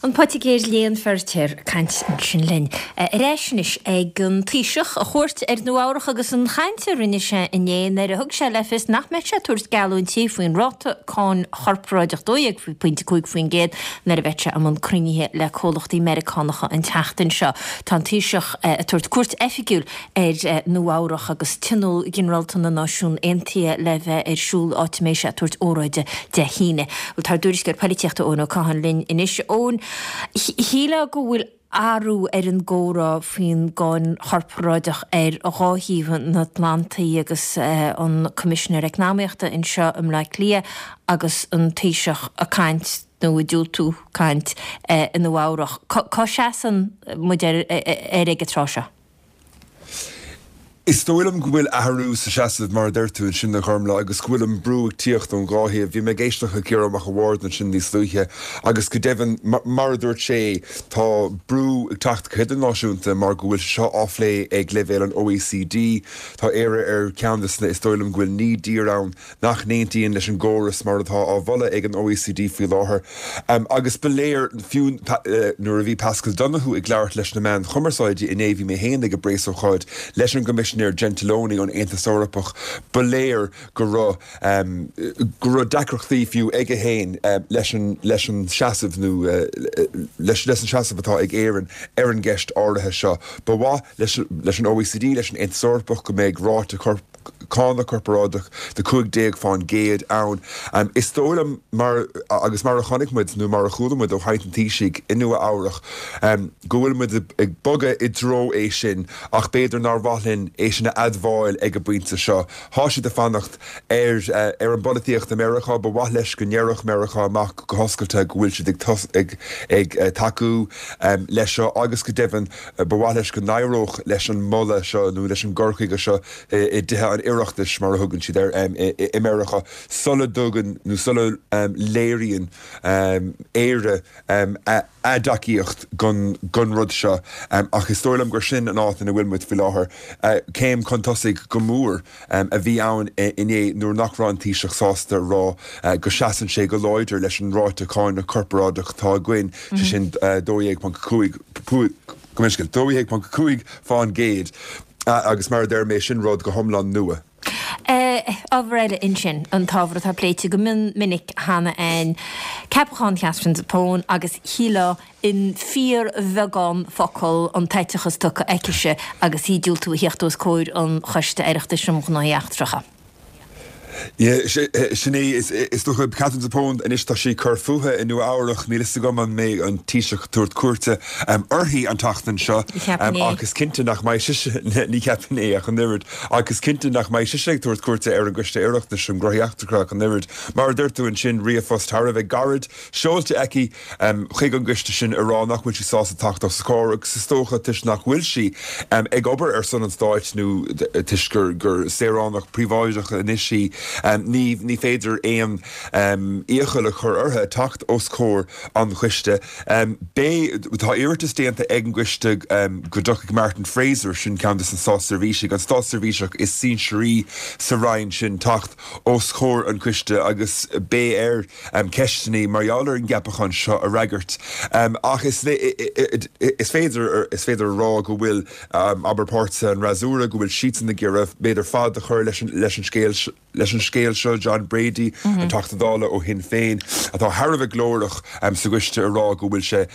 An Poitigéir Léan Feiritéar ag caint ansin linn. Ar ais anois ag an Taoiseach, a chuairt ar Nua Eabhrach agus an chaint a rinne sé inné nuair a thug sé le fios nach mbeidh sé ag tabhairt geallúintí faoin ráta cáin chorparáideach 12.5% nuair a bheidh sé i mbun cruinnithe le comhlachtaí Meiriceánacha an tseachtain seo. Tá an Taoiseach ag tabhairt cuairt oifigiúil ar Nua Eabhrach agus Tionól Ginearálta na Náisiún Aontaithe le bheith ar siúl, áit a mbeidh sé ag tabhairt óráide Dé hAoine. Bhuel, tá ár dtuairisceoir polaitíochta Eoin Ó Catháin linn anois. Eoin. Shílfeá go bhfuil athrú ar an gcomhrá faoin gcáin chorparáideach ar dhá thaobh an Atlantaigh agus an Coimisinéir Eacnamaíochta anseo i mBleá Cliath agus an Taoiseach ag caint nó ag diúltú caint i Nua Eabhrach. Cá seasann muid air ag an tráth seo? Is dóigh liom go bhfuil athrú sa seasamh, mar a deir tú ansin, a Ghormlaith, agus go bhfuil an brú ag tíocht ón dhá thaobh. Bhí mé ag éisteacht le Ciarán Mac an Bhaird ansin níos luaithe agus go deimhin, mar a dúirt sé, tá brú ag teacht go hidirnáisiúnta mar go bhfuil sé seo á phlé ag leibhéal an OECD. Tá Éire ar cheann de na, is dóigh liom go bhfuil 9 dtír ann nach n-aontaíonn leis an gcóras mar atá á mholadh ag an OECD faoi láthair. Agus ba léir, fiú nuair a bhí Paschal Donohoe ag labhairt leis na meáin chumarsáide inné, bhí mé féin ag an bpreasócáid leis an gCoimisinéir Gentiloni ón Aontas Eorpach, ba léir go raibh go raibh deacrachtaí fiú aige féin leis an leis an seasamh nó leis leis an seasamh atá ag Éirinn ar an gceist áirithe seo. Ba mhaith leis leis an OECD, leis an Aontas Eorpach go mbeidh ráta cánach corparáideach de 15% ann. Is dóigh liom, mar, agus mar a chonaic muid nó mar a chuala muid ó chaint an Taoisigh i Nua Eabhrach, go bhfuil muid ag bogadh i dtreo é sin ach b'fhéidir nár mhaith linn é sin a admháil ag an bpointe seo. Tá siad ag fanacht ar ar an bpolaitíocht i Meiriceá. Ba mhaith leis go ndéarfadh Meiriceá amach go hoscailte go bhfuil siad ag ag tacú leis seo agus go deimhin Ba mhaith leis go n-éireodh leis an moladh seo nó leis an gcur chuige seo i dTithe an Oireachtais, mar a thugann siad air, i Meiriceá sula dtugann nó sula léiríonn Éire a dtacaíocht don rud seo. Ach is dóigh liom gur sin an áit ina bhfuil muid faoi láthair. Céim chun tosaigh go mór a bhí ann inné nuair nach raibh an Taoiseach sásta a rá go seasann sé go láidir leis an ráta cánach corparáideach atá againn, sé sin 12.5, gabh mo leithscéal, 12.5 fán gcéad agus mar a deir mé, sin rud go hiomlán nua. Ábhar eile ansin, an t-ábhar atá pléite go mion minic cheana féin, ceapachán Chatherine Zappone agus shílfeá in fíorbheagán focal an t-eiteachas tugtha aicise agus í ag diúltú a theacht os comhair an Choiste Oireachtais um Ghnóthaí Eachtracha. Sin é, is dócha, Katherine Zappone, anois tá sí ag cur fúithi i Nua Eabhrach, níl fhios agam an mbeidh an Taoiseach ag tabhairt cuairte uirthi an tseachtain seo, ach is cinnte nach mbeidh sise, ní cheapfainn é ach an oiread, ach is cinnte nach mbeidh sise ag tabhairt cuairte ar an gCoiste Oireachtais um Ghnóthaí Eachtracha ach an oiread. Mar a dúirt tú ansin, ríomhphost thar a bheith gairid seolta aici chuig an gcoiste sin ag rá nach bhfuil sí sásta teacht os a chomhair agus is dócha toisc nach bhfuil sí ag obair ar son an stáit nó toisc gur saoránach príobháideach anois í, ní féidir aon iachall a chur uirthi teacht os comhair an choiste. Beidh, tá iarratas déanta ag an gcoiste go dtiocfaidh Martin Fraser, sin ceann de na státseirbhísigh, an státseirbhíseach is sinsearaí sa roinn sin, teacht os comhair an choiste agus beidh air ceisteanna mar gheall ar an gceapachán seo a fhreagairt. Ach is féidir is féidir a rá go bhfuil, abair, páirtithe an fhreasúra, go bhfuil siadsan ag iarraidh, b'fhéidir, fad a chur leis an leis an scéal leis an scéal seo. John Brady, an Teachta Dála ó Shinn Féin, atá thar a bheith glórach sa gcoiste ag rá go bhfuil sé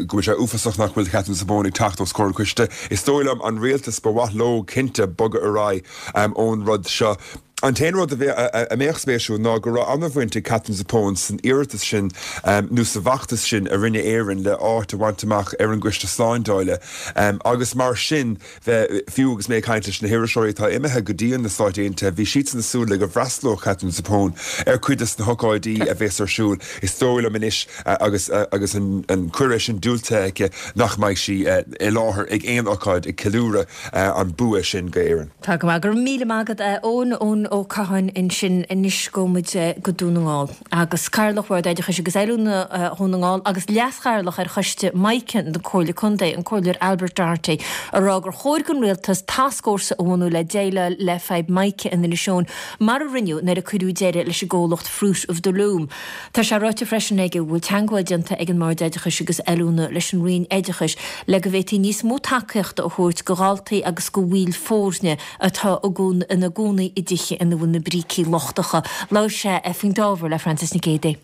go bhfuil sé uafásach nach bhfuil Katherine Zappone ag teacht os comhair an choiste. Is dóigh liom an rialtas, ba mhaith leo cinnte bogadh ar aghaidh ón rud seo. An t-aon rud a mbeadh spéisiúil ná go raibh an-bhaint ag Katherine Zappone san iarratas sin nó sa bhfeachtas sin a rinne Éirinn le áit a bhaint amach ar an gCoiste Slándála agus mar sin fiú agus mé ag caint leis na hiriseoirí atá imithe go dtí na Stáit Aontaithe bhí siadsan ag súil le go bhfreastalódh Katherine Zappone ar cuid des na hocáidí a bheas ar siúl. Is dóigh liom anois agus agus an cuireadh sin diúltaithe aici nach mbeidh sí i láthair ag aon ocáid ag ceiliúradh an bua sin go Éirinn. Tá go maith. Go raibh míle maith agat, a Eoin. Eoin Ó Catháin ansin. Anois gabhfaidh muid go Dún na nGall. Agus Cathaoirleach Bhord Oideachais agus Oiliúna Dhún na nGall agus Leas-Chathaoirleach ar Choiste Mica na Comhairle Contae, an Comhairleoir Albert Doherty, ag rá gur chóir don Rialtas tascfhórsa a bhunú le déileáil le fadhb Mica in Inis Eoghain mar a rinneadh nuair a cuireadh deireadh leis an gcomhlacht Fruit of the Loom. Tá sé ráite freisin aige go bhfuil teagmháil déanta ag an mBord Oideachais agus Oiliúna leis an Roinn Oideachais le go bhféadfaí níos mó tacaíochta a thabhairt go dhaltaí agus go bhaill foirne atá ina gcónaí i dtithe ina bhfuil na brící lochtacha. Labhair sé faoin ábhar le Frances Nic Géadaigh.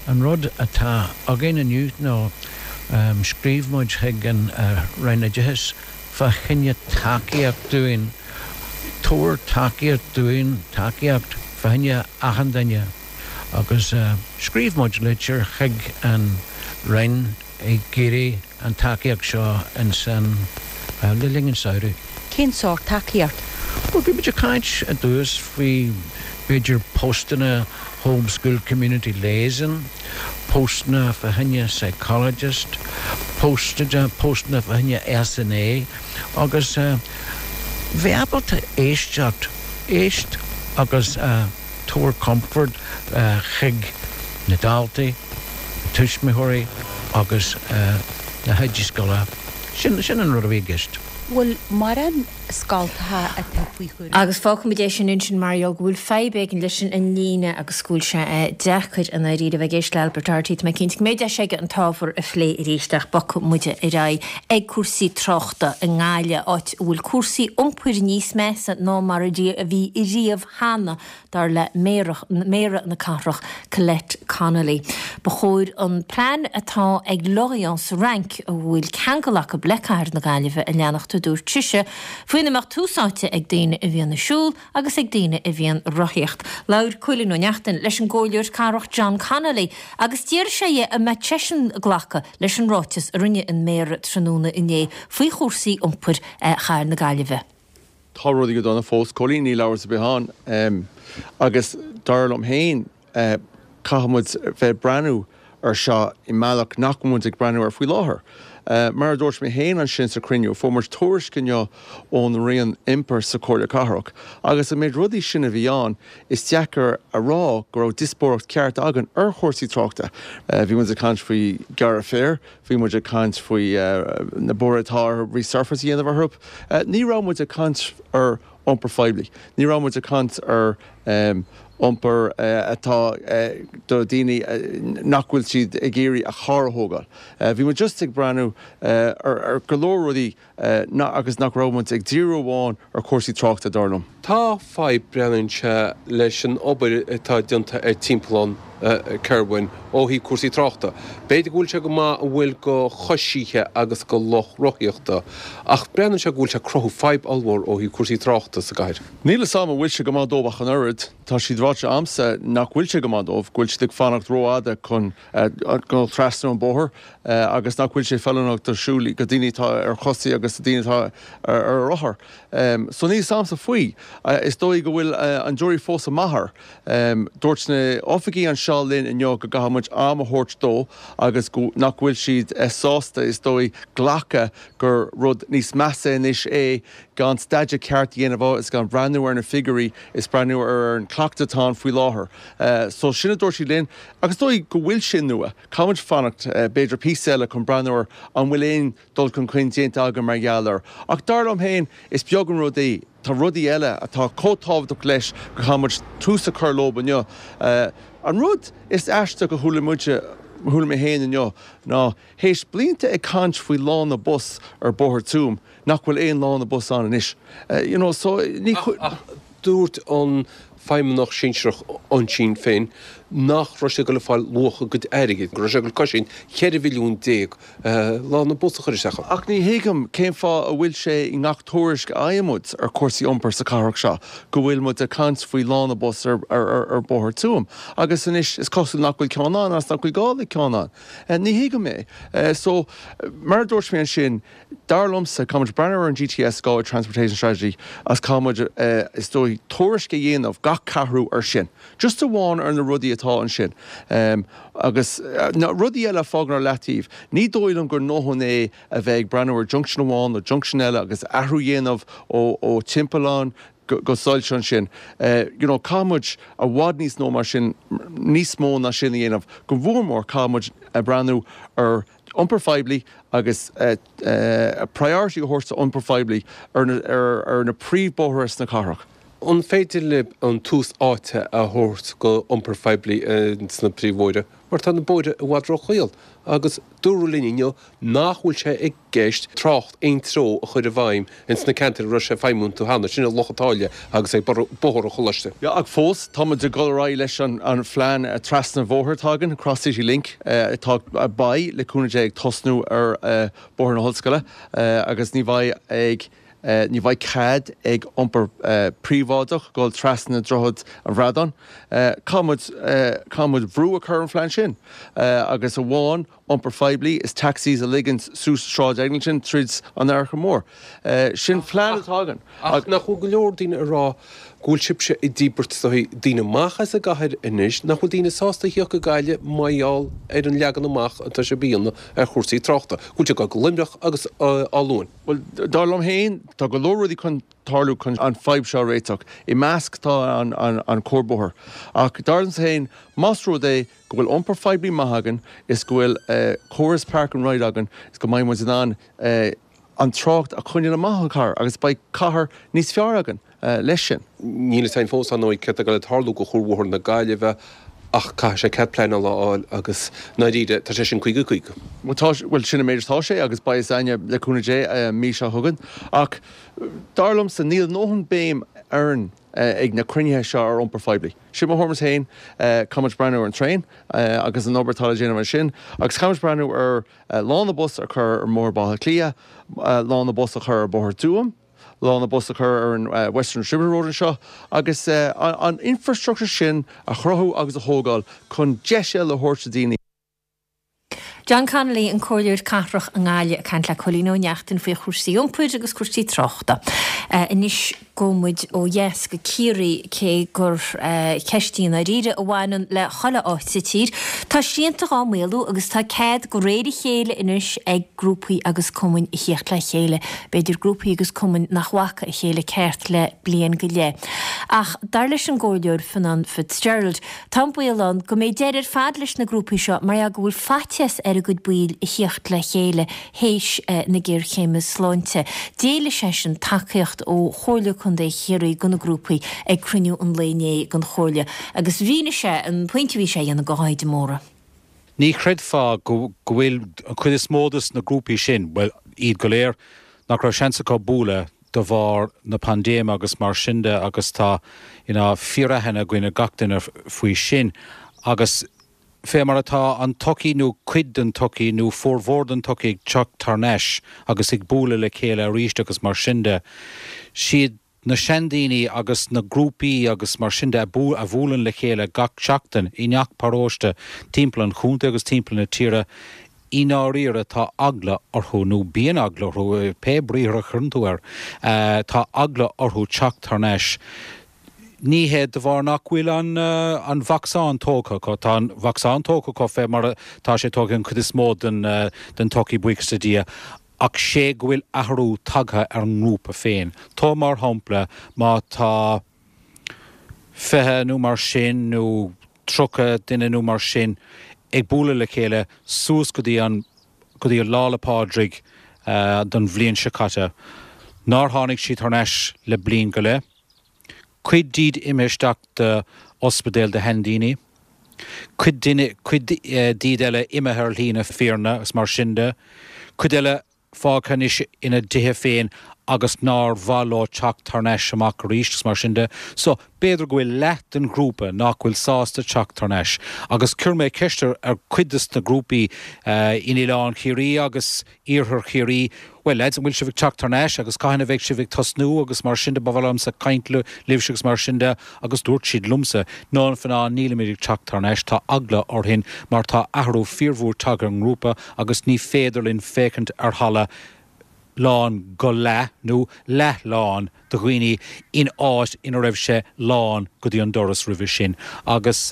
An rud atá againn inniu ná scríobh muid chuig an Roinn Oideachais fá choinne tacaíocht dúinn, tabhair tacaíocht dúinn, tacaíocht fá choinne achan duine. Agus scríobh muid litir chuig an. Roinn ag iarraidh an tacaíocht seo ansin le linn an samhradh. Cén sórt tacaíocht? Bhuel, bhí muid ag caint i dtús faoi b'fhéidir postanna Home School Community Liaison, postanna fá choinne psychologist, postanna fá choinne SNA agus bheith ábalta éisteacht, éist agus tabhair comfort chuig na daltaí, na tuismitheoirí agus na hoidí scoile. Sin, sin an rud a bhí i gceist. Bhfuil mórán scoltacha atá faoi chúram? Agus fágfaimid é sin ansin mar gheall go bhfuil fadhb éigin leis an líne agus go bhfuil sé deacair i ndáiríre a bheith ag éisteacht le Albert Doherty. Tá mé cinnte go mbeidh deis aige an t-ábhar a phlé arís ach bogfaidh muide ar aghaidh ag cúrsaí tráchta i nGaillimh, áit a bhfuil cúrsaí iompair níos measa ná mar a bhí riamh cheana, dar le Méara na cathrach, Colette Connolly. Ba chóir an plean atá ag Lorient sa Fhrainc, a bhfuil ceangal acu le cathair na Gaillimhe, a leanacht, a dúirt sise, faoina mbeadh tús áite ag daoine a bhíonn ag siúl agus ag daoine a bhíonn ag rothaíocht. Labhair Cóilín Ó Neachtain leis an gComhairleoir Cathrach John Connolly agus d'iarr sé dhe an mbeadh seisean ag glacadh leis an ráiteas a rinne an Méara tráthnóna inné faoi chúrsaí iompair chathair na Gaillimhe. Tá rudaí go dona fós, Cóilín, níl amhras ar bith ann. Agus dar liom féin, caithfidh muid bheith ag breathnú ar seo i mbealach nach bhfuil muid ag breathnú air faoi láthair. Mar a dúirt mé féin ansin sa chruinniú, fuair muid tuairisc inniu ón Roinn Iompair sa Chomhairle Cathrach agus an méid rudaí sin a bhí ann, is deacair a rá go raibh díospóireacht ceart againn ar chúrsaí tráchta. Bhí muid ag caint faoi gearradh féir, Bhí muid ag caint faoi na bóithre atá ar resurface a dhéanamh orthu. Ní raibh muid ag caint ar iompar phoiblí. Ní raibh muid ag caint ar iompar atá do daoine nach bhfuil siad ag iarraidh a charr a thógáil. Bhí muid just ag breathnú ar go leor rudaí agus nach raibh muid ag díriú amháin ar chúrsaí tráchta, dar liom. Tá fadhb, breathnaíonn sé, leis an obair atá déanta ar Timpeallán Kirwin ó thaobh cúrsaí tráchta. B'fhéidir go bhfuil sé go maith a bhfuil go choisithe agus go lucht rothaíochta, ach breathnaíonn sé go bhfuil sé ag cruthú fadhb ollmhór ó thaobh cúrsaí tráchta sa gcathair. Níl fhios a'm an bhfuil sé go maith dóibh ach an oiread. Tá siad ráite a'msa nach bhfuil sé go maith dóibh, go bhfuil siad ag fanacht rófhada chun dul trasna an bóthar agus nach bhfuil sé feiliúnach do siúl, do daoine atá ar chosaí agus do daoine atá ar rothar. So níl fhios a'msa faoi. Is dóigh go bhfuil an jury fós amach air. Dúirt na oifigigh anseo linn inniu go gcaithfidh muid am a thabhairt dó agus go nach bhfuil siad sásta, is dóigh, glacadh gur rud níos measa anois é gan staidéar ceart a dhéanamh air is gan breathnú ar na figiúirí is breathnú ar an cleachtadh atá ann faoi láthair. So sin a dúirt siad linn. Agus is dóigh go bhfuil sé nua. Caithfidh muid fanacht b'fhéidir píosa eile chun breathnú ar an bhfuil aon dul chun cinn déanta againn mar gheall air. Ach dar liom féin, is beag an rud é. Tá rudaí eile atá chomh tábhachtach leis go gcaithfidh muid tús a chur leo inniu. An rud is aisteach a chuala muide, a chuala mé féin inniu ná, théis blianta ag caint faoi lána bus ar Bhóthar Tuaim, nach bhfuil aon lána bus ann anois. You know, so ní. Ach dúirt an feidhmeannach sinsearach ansin féin nach raibh sé ag dul ag fáil luach a gcuid airgid, go raibh sé ag dul cosaint 14 mhilliún lána bus a chur isteach ann. Ach ní thuigim cén fáth a bhfuil sé i ngach tuairisc a fhaigheann muid ar chúrsaí iompair sa chathrach seo go bhfuil muid ag caint faoi lána bus ar Bhóthar Tuaim agus anois is cosúil nach bhfuil ceann ann agus nach bhfuil gá le ceann ann. Ní thuigim é. So, mar a dúirt mé ansin, Dar liomsa, caithfidh muid breathnú ar an GTS, Galway Transportation Strategy, agus caithfidh muid, is dóigh, tuairisc a dhéanamh gach ceathrú ar sin. Just amháin ar na rudaí atá ansin. Agus na rudaí eile a fágáil ar leataobh. Ní dóigh liom gur ndóthain é a bheith ag breathnú ar junction amháin nó junction eile agus athrú a dhéanamh ó timpeallán go soilse ansin. You know, caithfidh muid i bhfad níos nó mar sin, níos mó ná sin a dhéanamh. Go mhór mór caithfidh muid breathnú ar iompar phoiblí agus priority a thabhairt d'iompar phoiblí ar na príomhbhóithre sna cathrach. An féidir libh an tús áite a thabhairt go iompar phoiblí sna príomhbhóithre? Mar tá na bóithre i bhfad róchaol agus dúradh linn inniu nach bhfuil sé i gceist trácht aon treo a chur i bhfeidhm ins na ceantair a raibh sé ag feidhmiú iontu cheana, sin i Loch an tSáile agus ag Bóthar an Choláiste. Yeah, ach fós, tá muid ag dul ar aghaidh leis an phlean trasna an bhóthair atá againn, Cross City Link, atá, beidh, le cúnamh Dé, ag tosnú ar Bhóthar na hOllscoile agus ní bheidh ag, ní bheidh cead ag iompar príobháideach dul trasna Droichead an Bhradáin. Caithfidh muid, caithfidh muid brú a chur ar an phlean sin agus amháin. iompar phoiblí is taxis a ligint suas Sráid Eglinton tríd an Fhairche Mhór. Sin plean atá againn. Ach nach bhfuil go leor daoine ag rá go bhfuil sibhse ag díbirt daoine amach as an gcathair anois, nach bhfuil daoine sásta a thíocht go Gaillimh mar gheall ar an leagan amach atá sibh a dhéanamh ar chúrsaí tráchta, go bhfuil sé ag dul go Luimneach agus Áth Luain? Bhuel, dar liom féin, tá go leor rudaí chun tarlú chun an fadhb seo a réiteach. I measc tá an cuarbhóthar. Ach dar liomsa féin, más rud é go bhfuil iompar phoiblí maith againn is go bhfuil córas park and ride againn is go mbeidh muid in ann an trácht a choinneáil amach ón chathair agus beidh cathair níos fearr againn leis sin. Níl a fhios againn fós, ar ndóigh, céard atá ag dul ag tarlú go Chuarbhóthar na Gaillimhe ach caithfidh sé cead pleanála a fháil agus, i ndáiríre, tá sé sin 50 50. Bhuel, tá, bhuel, sin an méid atá sé agus beidh a fhios againne, le cúnamh Dé, an mhí seo chugainn. Ach dar liomsa, níl a ndóthain béim orainn ag na cruinnithe seo ar iompar phoiblí. Sin mo thuairimse féin, caithfidh muid breathnú ar an traein agus an obair atá le déanamh ansin agus caithfidh muid breathnú ar lána bus a chur ar Bhóthar Bhaile Átha Cliath, lána bus a chur ar Bhóthar Tuaim, lána bus a chur ar an Western Distributor Road anseo agus an infrastructure sin a chruthú agus a thógáil chun deis eile a thabhairt do daoine. John Connolly, an Comhairleoir Cathrach i nGaillimh ag caint le Cóilín Ó Neachtain faoi chúrsaí iompair agus cúrsaí tráchta. Anois gabhfaidh muid ó dheas go Ciarraí cé gur ceist í i ndáiríre a bhaineann le chuile áit sa tír. Tá srianta dhá maolú agus tá cead de réir a chéile anois ag grúpaí agus cumainn a thíocht le chéile, b'fhéidir grúpaí agus cumainn nach bhfaca a chéile ceart le bliain go leith. Ach dar leis an gComhairleoir Fionán Fitzgerald, Tá an baol ann go mbeidh deireadh ar fad leis na grúpaí seo mar gheall go bhfuil faitíos ar a gcuid baill a thíocht le chéile théis na géarchéime sláinte. D'éiligh seisean tacaíocht ó Chomhairle Contae Chiarraí do na grúpaí ag cruinniú an lae inné den Chomhairle agus mhínigh sé an pointe a bhí sé a dhéanamh do Dháithí de Mórdha. Ní chreidfeá go bhfuil an chuid is mó des na grúpaí sin, bhuel, iad go léir, nach raibh seans acu bualadh de bharr na paindéime agus mar sin de agus tá you know fíoraithne againn ar gach duine faoi sin agus fé mar atá an tsochaí nó cuid den tsochaí nó formhór den tsochaí ag teacht thar n-ais agus ag bualadh le chéile arís agus mar sin de, siad na seandaoine agus na grúpaí agus mar sin de a bhuaileann le chéile gach seachtain i ngach paróiste timpeall an chontae agus timpeall na tíre, I ndáiríre tá eagla orthu, nó bíonn eagla orthu, pé briathar a chuireann tú air, tá eagla orthu teacht thar n-ais. Ní hé de bharr nach bhfuil an an vacsaín tógtha acu, tá an vacsaín tógtha acu fé mar atá sé tógtha ag an chuid is mó den den tsochaí, buíochas le Dia, ach sé go bhfuil athrú tagtha ar an ngrúpa féin. Tóg mar shampla má tá 20 nó mar sin nó 30 duine nó mar sin ag bualadh le chéile suas go dtí an, go dtí Lá 'le Pádraig don bhliain seo caite, nár tháinig siad thar n-ais le bliain go leith. Cuid díobh imithe isteach do ospidéal do sheandaoine, cuid duine, cuid díobh eile imithe ar shlí na fírinne agus mar sin de, cuid eile fágtha anois ina dtithe féin agus nár mhaith leo teacht thar n-ais amach arís agus mar sin de. So, b'fhéidir go bhfuil leath den ghrúpa nach bhfuil sásta teacht thar n-ais. Agus chuir mé ceist ar chuid des na grúpaí in Oileán Chiarraí agus Iarthar Chiarraí, bhuel lads, an bhfuil sibh ag teacht thar n-ais agus cathain a bheidh sibh ag tosnú agus mar sin de, ba mhaith liomsa caint libhse agus mar sin de agus dúirt siad liomsa, no a Fhionáin, nílimid ag teacht thar n-ais, tá eagla orainn mar tá athrú fíormhór tagtha ar an ngrúpa agus ní féidir linn féachaint ar halla lán go leath nó leath lán de dhaoine in áit ina raibh sé lán go dtí an doras roimhe sin agus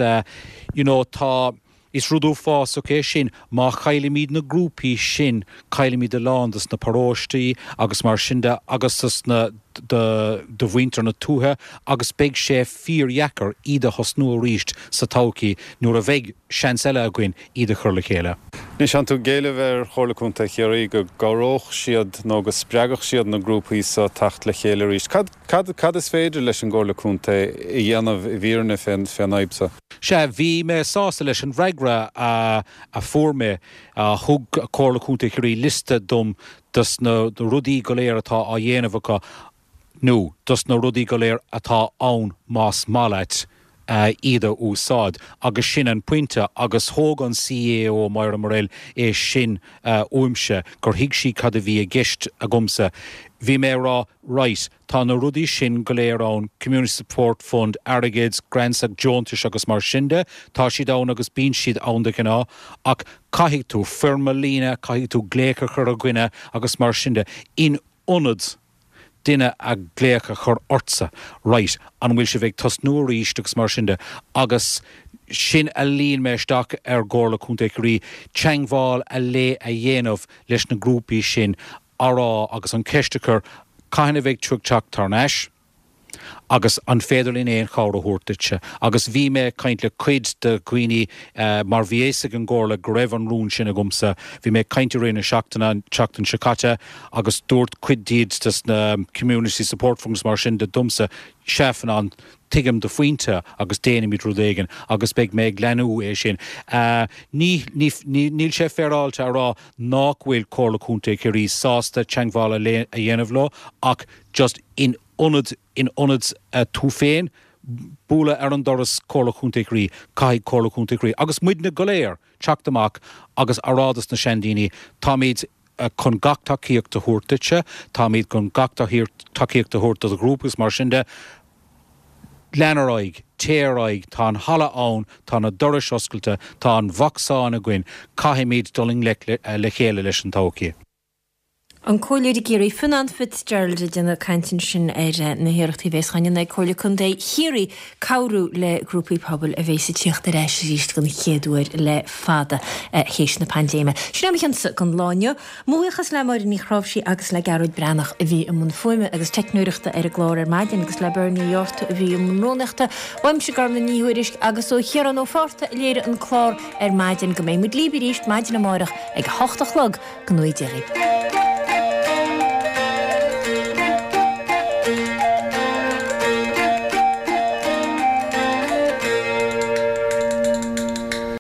you know tá Is rud uafásach é sin. Má chaillimid na grúpaí sin, caillimid a lán dos na paróistí agus mar sin de agus dos na, do, do mhuintir na tuaithe agus beidh sé fíordheacair iad a thosnú arís sa todhchaí nuair a bheidh seans eile againn iad a chur le chéile. Anois, tánn tú ag éileamh ar Chomhairle Contae Chiarraí go gcabhródh siad nó go spreagfadh siad na grúpaí so teacht le chéile arís. Cad, cad, cad is féidir leis an gComhairle Contae a dhéanamh i bhfírinne fén, fén fhadhb so? Sea, bhí mé sásta leis an bhfreagra a fuair mé. Thug Comhairle Contae Chiarraí liosta dom dos na rudaí go léir atá á dhéanamh acu, nó dos na rudaí go léir atá ann más maith leat. iad a úsáid agus sin an pointe agus thóg an CAO Moira Murrell é sin uaimse gur thuig sí cad a bhí i gceist agamsa. Bhí mé ag rá right, tá na rudaí sin go léir ann, Community Support Fund, airgead, grants agus deontais agus mar sin de, tá siad ann agus bíonn siad ann de ghnáth ach caithfidh tú foirm a líonadh, caithfidh tú glaoch a chur ar dhuine agus mar sin de in ionad duine a glaoch a chur ortsa, right, an bhfuil sibh ag tosnú arís agus mar sin de agus sin a líon mé isteach ar gComhairle Contae Chiarraí, teangmháil a lé a dhéanamh leis na grúpaí sin a rá agus an ceist a chur, cathain a bheidh tú ag teacht thar n-ais? Agus an féidir linn aon chabhair a thabhairt duitse? Agus bhí mé ag caint le cuid de dhaoine, mar bhí fhios ag an gComhairle go raibh an rún sin agamsa, bhí mé ag caint i rith na seachtaine, an tseachtain seo caite, agus dúirt cuid díobh des na community support funds mar sin de domsa, sea Fionán, tuigim do phointe agus déanfaimid rud éigin agus beidh mé ag leanú é sin. Ní, ní, ní, níl sé féaráilte a rá nách bhfuil Comhairle Contae Chiarraí sásta teangmháil a dhéanamh leo ach just in ionad, in ionad tú féin bualadh ar an doras Comhairle Chontae Chiarraí, caithfidh Comhairle Chontae Chiarraí, agus muidne go léir, teacht amach agus a rá dos na seandaoine, táimid chun gach tacaíocht a thabhairt duitse, táimid chun gach tacaíocht a thabhairt do do ghrúpa agus mar sin de. Lean ar aghaidh, téigh ar aghaidh, tá an halla ann, tá na dorais oscailte, tá an vacsaín againn, caithfimid dul i ngleic le chéile leis an todhchaí. An Comhairleoir i gCiarraí, Fionán Fitzgerald ag déanamh caint ansin ar na hiarrachtaí a bhéas á ndéanamh ag Comhairle Contae Chiarraí cabhrú le grúpaí pobail a bhéas ag tíocht ar ais arís den chéad uair le fada théis na paindéime. Sin é mo chionsa don lá inniu. Mo bhuíochas le Máire Ní Chráimhsí agus le Gearóid Breathnach a bhí i mbun fuaime agus teicneoireachta ar an gclár ar maidin agus le Bernie Ó Dochartaigh a bhí i mbun rúnaíochta. Uaimse Gormlaith Ní Thuairisg agus ó Chiarán Ó Fátharta a léirigh an clár ar maidin. Go mbeidh muid libh arís maidin amárach ag a hocht a chlog. Go ngnóthaí Dia dhaoibh.